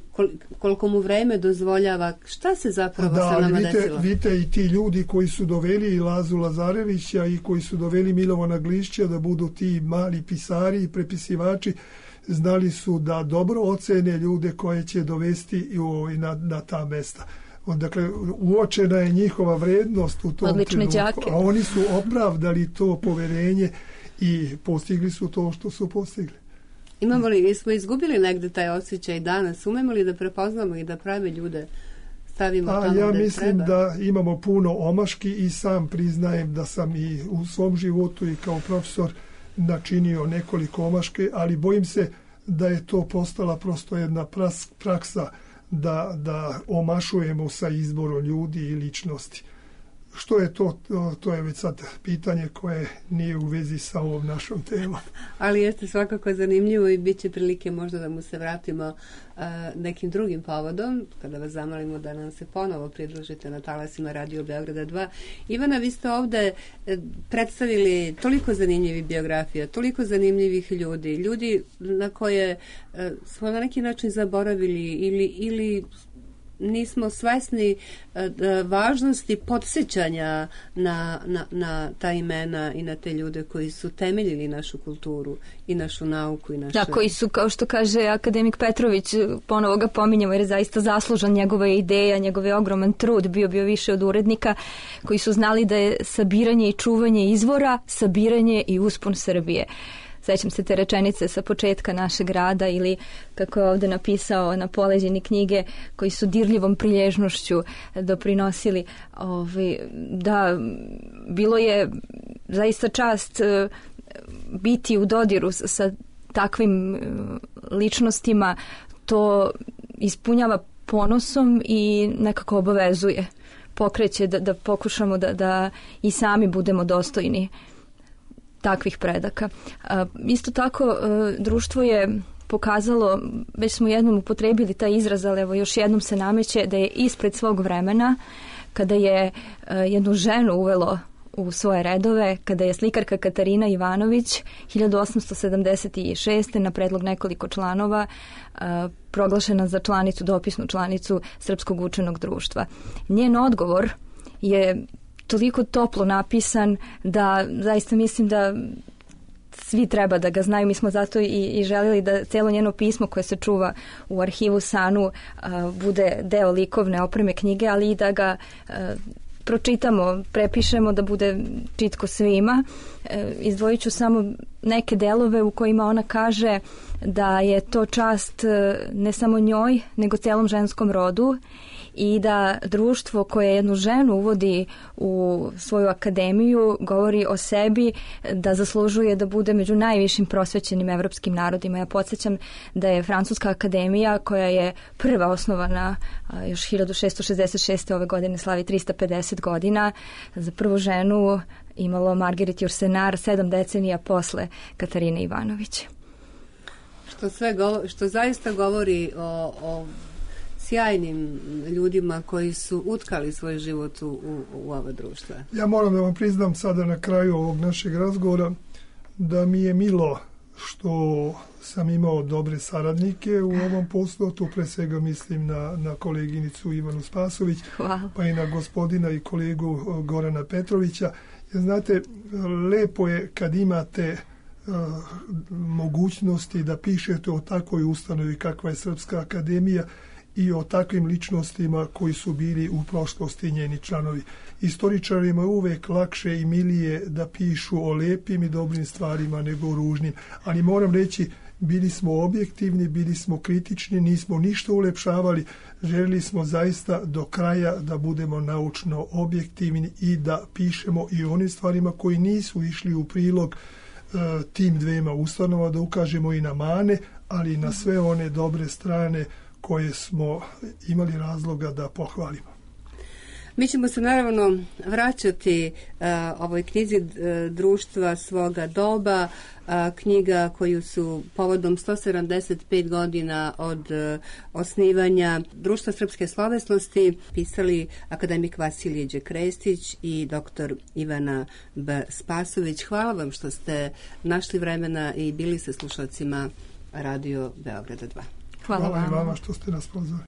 koliko mu vreme dozvoljava, šta se zapravo
da,
sa nama
vidite,
desilo?
Vidite i ti ljudi koji su doveli i Lazu Lazarevića i koji su doveli Milovana Glišća da budu ti mali pisari i prepisivači, znali su da dobro ocene ljude koje će dovesti na, na ta mesta. Dakle, uočena je njihova vrednost u tom
Odlične
trenutku,
đake.
a oni su opravdali to poverenje i postigli su to što su postigli.
Imamo li, smo izgubili negde taj osjećaj danas? Umemo li da prepoznamo i da prave ljude stavimo
a,
tamo
ja
gde
mislim
treba?
Da imamo puno omaški i sam priznajem da sam i u svom životu i kao profesor načinio nekoliko omaške, ali bojim se da je to postala prosto jedna pras, praksa da, da omašujemo sa izborom ljudi i ličnosti. Što je to, to? To je već sad pitanje koje nije u vezi sa ovom našom temom.
Ali jeste svakako zanimljivo i bit će prilike možda da mu se vratimo uh, nekim drugim povodom, kada vas zamolimo da nam se ponovo pridružite na talasima Radio Beograda dva. Ivana, vi ste ovde predstavili toliko zanimljivih biografija, toliko zanimljivih ljudi, ljudi na koje uh, smo na neki način zaboravili ili, ili nismo svesni uh, važnosti podsjećanja na, na, na ta imena i na te ljude koji su temeljili našu kulturu i našu nauku i naše...
Da, koji su, kao što kaže akademik Petrović, ponovo ga pominjamo jer je zaista zaslužan, njegova ideja, njegov je ogroman trud, bio bio više od urednika, koji su znali da je sabiranje i čuvanje izvora, sabiranje i uspon Srbije. Sećam se te rečenice sa početka našeg rada ili kako je ovde napisao na poleđini knjige, koji su dirljivom prilježnošću doprinosili. Ovaj, da, bilo je zaista čast biti u dodiru sa takvim ličnostima. To ispunjava ponosom i nekako obavezuje. Pokreće da, da pokušamo da, da i sami budemo dostojni takvih predaka. Isto tako, društvo je pokazalo, već smo jednom upotrebili taj izraz, ali evo još jednom se nameće da je ispred svog vremena, kada je jednu ženu uvelo u svoje redove, kada je slikarka Katarina Ivanović hiljadu osamsto sedamdeset šeste na predlog nekoliko članova proglašena za članicu, dopisnu članicu Srpskog učenog društva. Njen odgovor je toliko toplo napisan da zaista mislim da svi treba da ga znaju. Mi smo zato i, i željeli da celo njeno pismo koje se čuva u arhivu Sanu a, bude deo likovne opreme knjige, ali i da ga a, pročitamo, prepišemo da bude čitko svima. E, izdvojit ću samo neke delove u kojima ona kaže da je to čast ne samo njoj, nego celom ženskom rodu i da društvo koje jednu ženu uvodi u svoju akademiju govori o sebi da zaslužuje da bude među najvišim prosvećenim evropskim narodima. Ja podsjećam da je Francuska akademija, koja je prva osnovana još hiljadu šessto šezdeset šeste. ove godine slavi trista pedeset godina, za prvu ženu imalo Marguerite Yourcenar sedam decenija posle Katarine Ivanović.
Što, sve govo, što zaista govori o, o sjajnim ljudima koji su utkali svoj život u, u, u ova društva.
Ja moram da vam priznam sada na kraju ovog našeg razgovora da mi je milo što sam imao dobre saradnike u ovom poslu, tu pre svega mislim na, na koleginicu Ivanu Spasović,
Hvala.
Pa i na gospodina i kolegu Gorana Petrovića. Jer znate, lepo je kad imate uh, mogućnosti da pišete o takvoj ustanovi kakva je Srpska akademija i o takvim ličnostima koji su bili u prošlosti njeni članovi. Istoričarima je uvek lakše i milije da pišu o lepim i dobrim stvarima nego o ružnim. Ali moram reći, bili smo objektivni, bili smo kritični, nismo ništa ulepšavali. Želili smo zaista do kraja da budemo naučno objektivni i da pišemo i o onim stvarima koji nisu išli u prilog uh, tim dvema ustanova, da ukažemo i na mane, ali i na sve one dobre strane koje smo imali razloga da pohvalimo.
Mi ćemo se naravno vraćati uh, ovoj knjizi uh, društva svoga doba, uh, knjiga koju su povodom sto sedamdeset pet godina od uh, osnivanja Društva srpske slovesnosti pisali akademik Vasilije Đekrestić i doktor Ivana B. Spasović. Hvala vam što ste našli vremena i bili sa slušalcima Radio Beograda dva.
Hvala,
Hvala
vama.
i vama što ste nas pozvali.